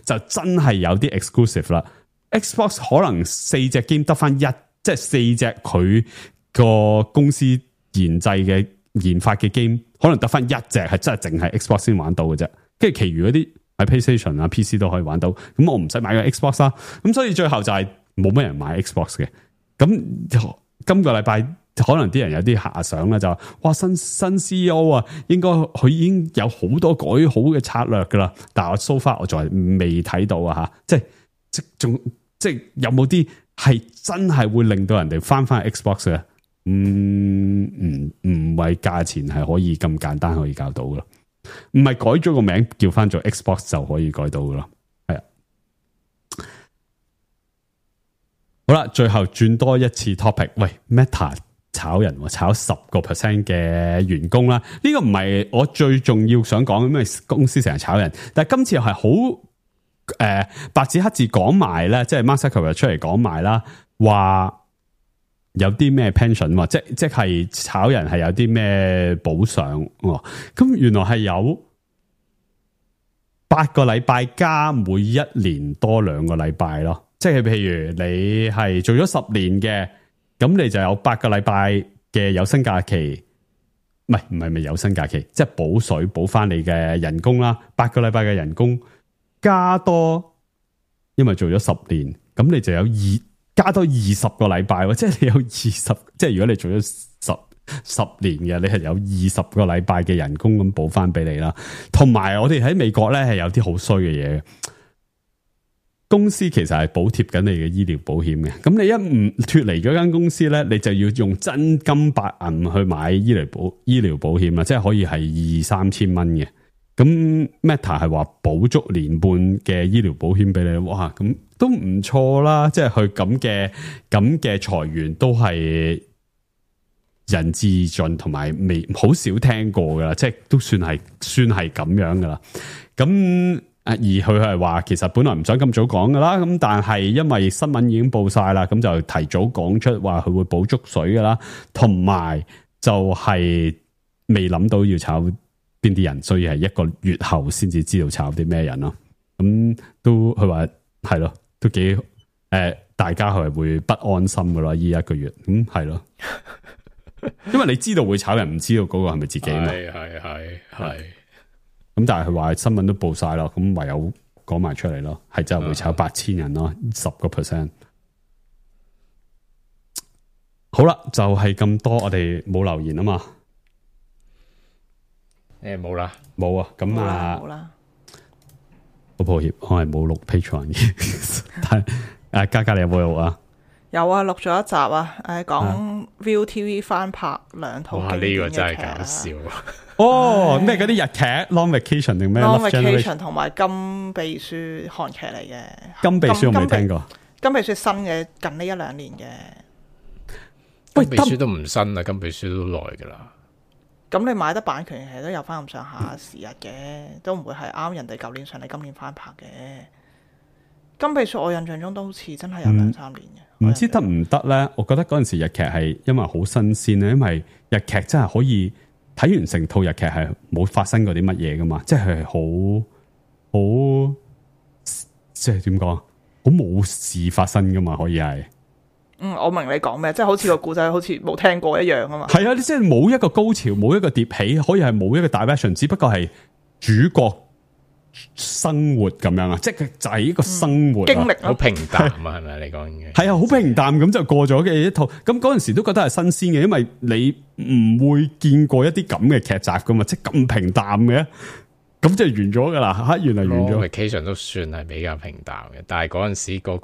就真係有啲 exclusive 啦。Xbox 可能4隻 game 得翻一，即係4隻佢個公司研發嘅 game， 可能得翻一隻係真係淨係 Xbox 先玩到嘅啫，跟住其餘嗰啲喺 PlayStation 啊 PC 都可以玩到，咁我唔使買個 Xbox 啦，咁所以最後就係冇乜人買 Xbox 嘅。咁今個禮拜可能啲人有啲遐想啦，就話哇新 CEO 啊，應該佢已經有好多改好嘅策略噶啦，但係我 so far 我仲係未睇到啊吓，即係有冇啲係真係會令到人哋翻 Xbox 嘅？唔係價錢係可以咁簡單可以搞到噶，唔係改咗個名叫翻做 Xbox 就可以改到噶啦。係啊，好啦，最後轉多一次 topic， 喂 Meta 炒人，炒10% 嘅員工啦，呢個唔係我最重要想講，因為公司成日炒人，但係今次又係好白紙黑字講埋咧，即係 Mark Zuckerberg 出嚟講埋啦，話有啲咩 pension， 即係炒人係有啲咩補償，咁原來係有8個禮拜加每一年多2個禮拜咯，即係譬如你係做咗10年嘅，咁你就有8個禮拜嘅有薪假期，唔係有薪假期，即係補水補翻你嘅人工啦，8個禮拜嘅人工加多，因為做咗10年，咁你就有加多20個禮拜，即係你有20，即係如果你做咗十年嘅，你係有20個禮拜嘅人工咁補翻俾你啦。同埋我哋喺美國咧係有啲好衰嘅嘢，公司其實係補貼緊你嘅醫療保險嘅。咁你一唔脫離咗間公司咧，你就要用真金白銀去買醫療保險啦，即係可以係2-3千蚊嘅。咁 Meta 係話補足年半嘅醫療保險俾你，哇！咁都唔錯啦，即係佢咁嘅裁員都係人之盡，同埋未好少聽過噶啦，即係都算係咁樣噶啦。咁而佢係話其實本來唔想咁早講噶啦，咁但係因為新聞已經報晒啦，咁就提早講出話佢會補足水噶啦，同埋就係未諗到要炒邊啲人，所以係1個月後先至知道炒啲咩人咯。咁都佢話係咯，都幾大家係會不安心噶啦，呢1個月咁係咯，因為你知道會炒人，唔知道嗰個係咪自己嘛。係。咁但係佢話新聞都報晒咯，咁唯有講埋出嚟咯，係真係會炒8000人咯，10%。好啦，就係咁多，我哋冇留言啊嘛。冇啦，冇啊，咁啊，冇啦，好抱歉，我係冇錄 Patreon 嘅，但係嘉你有冇錄啊？有啊，錄咗一集啊，講 ViuTV 翻拍2套經典嘅劇。哇，呢個真係搞笑。哦，咩嗰啲日劇 Long Vacation 定咩 Long Vacation 同埋金秘書韓劇嚟嘅。金秘書我未聽過。金秘書新嘅，近呢1-2年嘅。金秘書都唔新啦，金秘書都耐噶啦。咁你買得版權其實都有翻咁上下時日嘅，都唔會係啱人哋舊年上嚟今年翻拍嘅。金秘書我印象中都好似真係有2-3年嘅，唔知得唔得咧？我覺得嗰陣時日劇係因為好新鮮咧，因為日劇真係可以睇完成套日劇係冇發生過啲乜嘢噶嘛，即係好即係點講，好冇事發生噶嘛，可以係。我明你講咩，即係好似個故仔好似冇聽過一樣啊嘛。係啊，你即係冇一個高潮，冇一個疊起，可以係冇一個 direction，只不過係主角生活咁樣啊，即係就係一個生活經歷，好平淡啊，係咪你講嘅？係啊，好平淡咁就過咗嘅一套。咁嗰陣時都覺得係新鮮嘅，因為你唔會見過一啲咁嘅劇集噶嘛，即係咁平淡嘅，咁就完咗噶啦。吓，原來完咗。Vacation 都算係比較平淡嘅，但係嗰陣時嗰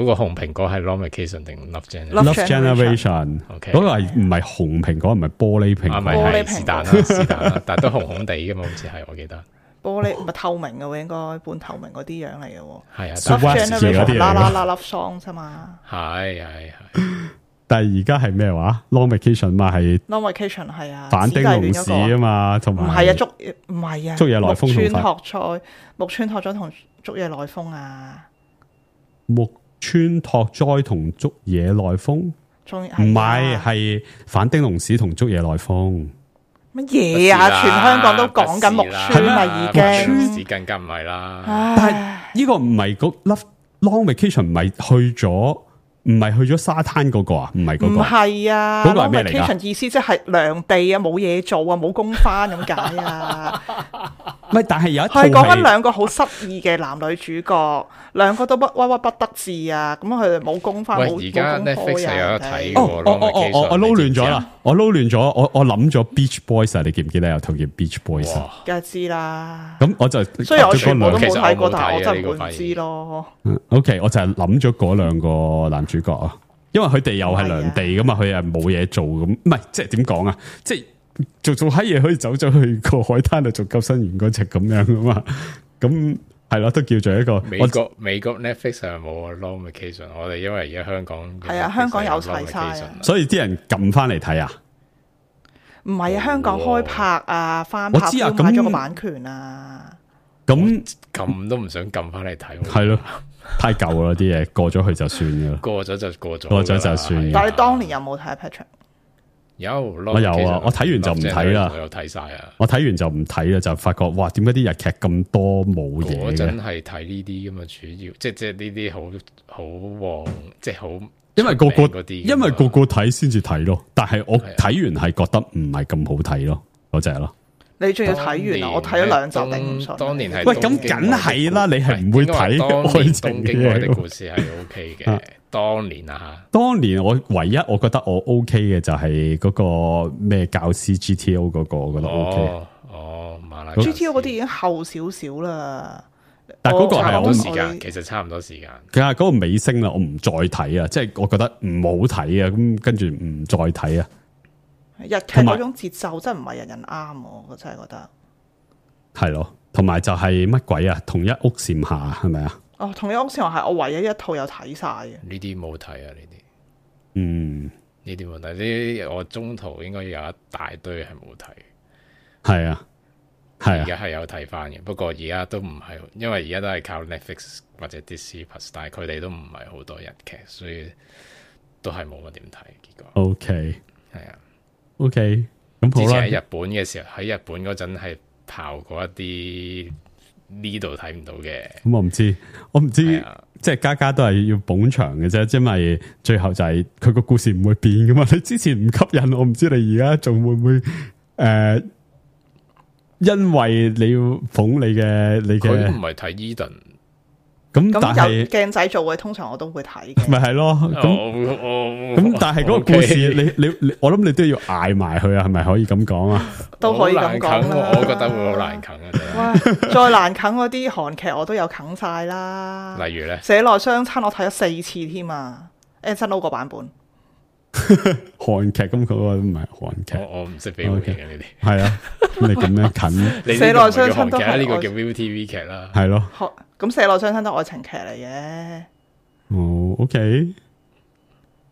個紅蘋果係 Long Vacation 定 Love Generation？ OK， 嗰個係唔係紅蘋果，唔係玻璃蘋果，係是但啦，是但啦，但係都紅紅地噶嘛，好似係我記得。玻璃唔係透明嘅喎，應該半透明嗰啲樣嚟嘅喎。係啊 ，Love Generation 啦 Love Song 啫嘛。係。但係而家係咩話 ？Long Vacation 嘛係 Long Vacation 係啊，反町隆史啊嘛，同埋唔係啊，唔係啊，竹野內豐木村拓哉同竹野內豐啊。木村拓哉同竹野內豐，唔係反町隆史同竹野內豐。乜嘢啊？全香港都講緊木村咪已經，更加唔係啦。但係呢個唔係個 Long Vacation 唔係去咗唔係去咗沙灘嗰個啊？唔係嗰個，唔係啊，嗰個係咩嚟㗎？ vacation 意思即係涼地啊，冇嘢做啊，冇工返咁解啊。唔係，但係有一套係講緊兩個好失意嘅男女主角，兩個都鬱鬱不得志啊。咁佢哋冇工返，冇而家 Netflix 有得睇喎。我撈亂咗啦，我諗咗 Beach Boys 啊，你記唔記得有套叫 Beach Boys 啊？梗係知啦。咁我就雖然我全部都冇睇過，其實我冇睇但係我真係呢個唔知咯。OK， 我就係諗咗嗰兩個男主角啊，因為佢哋又係涼地噶嘛，佢係冇嘢做咁，唔係即係點講啊？即係做閪嘢可以走咗去個海灘度做救生員嗰隻咁樣噶嘛？咁係咯，都叫做一個美國 Netflix 係冇 long vacation， 我哋因為而家香港係啊，香港有齊晒，所以啲人撳翻嚟睇啊。唔係啊，香港開拍啊，翻拍都買咗個版權啊。咁撳都唔想撳翻嚟睇，係咯，太舊啦啲嘢，過咗去就算噶啦，過咗就過咗，過咗就算。但係你當年有冇睇 Patrick？我有啊，我睇完就唔睇啦。我有睇晒啊！我睇完就唔睇啦，就發覺哇，點解啲日劇咁多冇嘢嘅？我真係睇呢啲咁啊，主要即係呢啲好旺，即係好。因為個個睇先至睇咯，但係我睇完係覺得唔係咁好睇咯，嗰隻咯。你仲要睇完啊？我睇咗2集頂唔順。當年係喂，咁梗係啦，你係唔會睇愛情嘅東京愛的故事係 OK 嘅。當年啊吓，當年我唯一我覺得我 OK 嘅就係嗰個咩教師 GTO 嗰個，我覺得 OK。馬拉 GTO 嗰啲已經後少少啦。但係嗰個係差唔多時間，其實差唔多時間。其實嗰個尾聲啦，我唔再睇啊，即係我覺得唔好睇啊，咁跟住唔再睇啊。日劇嗰種節奏真係唔係人人啱，我真係覺得。係咯，同埋就係乜鬼啊？同一屋檐下係咪啊？哦，同一屋檐下係我唯一一套有睇晒嘅。呢啲冇睇啊，呢啲。呢啲冇睇，呢啲我中途應該有一大堆係冇睇。係啊。係而家係有睇翻嘅，不過而家都唔係，因為而家都係靠 Netflix 或者 Disney Plus， 但係佢哋都唔係好多日劇，所以都係冇乜點睇。結果 OK 係啊 OK， 咁好啦。之前喺日本嘅時候，喺日本嗰陣係刨過一啲呢度睇唔到嘅。咁我唔知，即係家都係要捧場嘅啫，因為最後就係佢個故事唔會變噶嘛。你之前唔吸引我，唔知你而家仲會唔會因為你要捧你嘅，佢唔係睇 Eden， 咁但係有鏡仔做嘅，通常我都會睇嘅。咪係咯，咁但係嗰個故事，你我諗你都要捱埋去啊，係咪可以咁講啊？都可以咁講啦。我覺得會好難啃啊！哇，再難啃嗰啲韓劇我都有啃晒啦。例如咧，社內相親我睇咗4次添啊 ，Anson Lo 個版本。韓劇咁嗰個都唔係韓劇，我唔識俾回應嘅呢啲。係啊，你咁樣近，社內相親都係呢個叫 ViuTV 劇啦。係咯，咁社內相親都愛情劇嚟嘅。哦 ，OK。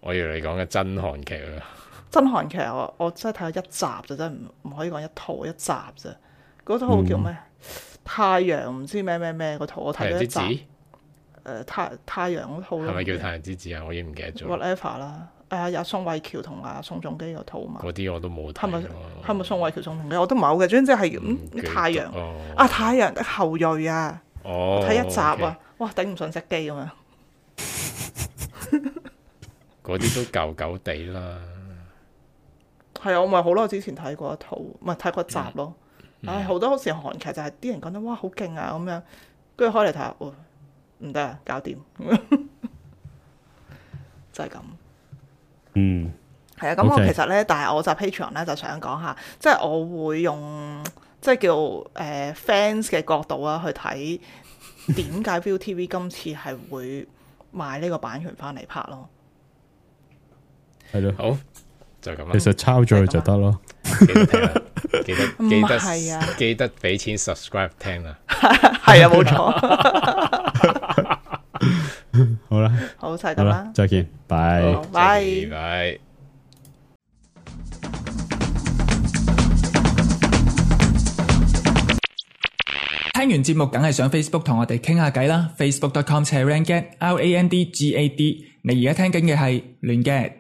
我以為你講嘅真韓劇啦。真韓劇我真係睇咗1集就真係唔可以講一套1集啫。嗰套叫咩？太陽唔知咩嗰套我睇咗1集。太陽嗰套咯。係咪叫太陽之子啊？我已經唔記得咗。Whatever 啦。有宋慧喬同阿宋仲基嗰套嘛？嗰啲我都冇睇。係咪宋慧喬、宋仲基？我都唔係好嘅，總之係太陽。太陽的後裔啊！睇1集啊！哇，頂唔順隻機咁樣。嗰啲都舊舊地啦。係啊，我咪好耐之前睇過一套，唔係睇過1集咯。好多時韓劇就係啲人講得哇好勁啊咁樣，跟住開嚟睇下，唔得啊，搞掂，就係咁。係啊，咁我其實咧，但係我就 Patreon 咧就想講下，即係我會用即係叫fans 嘅角度啊去睇點解 ViuTV 今次係會買呢個版權翻嚟拍咯。係咯，好就咁啦。其實抄咗佢就得咯，記得俾錢 subscribe 聽啦。係啊，冇錯。好啦，好就係咁啦，再見，拜拜。聽完節目梗係上 Facebook 同我哋傾下偈啦 ，facebook.com/randgad，RANDGAD。你而家聽緊嘅係亂 gad。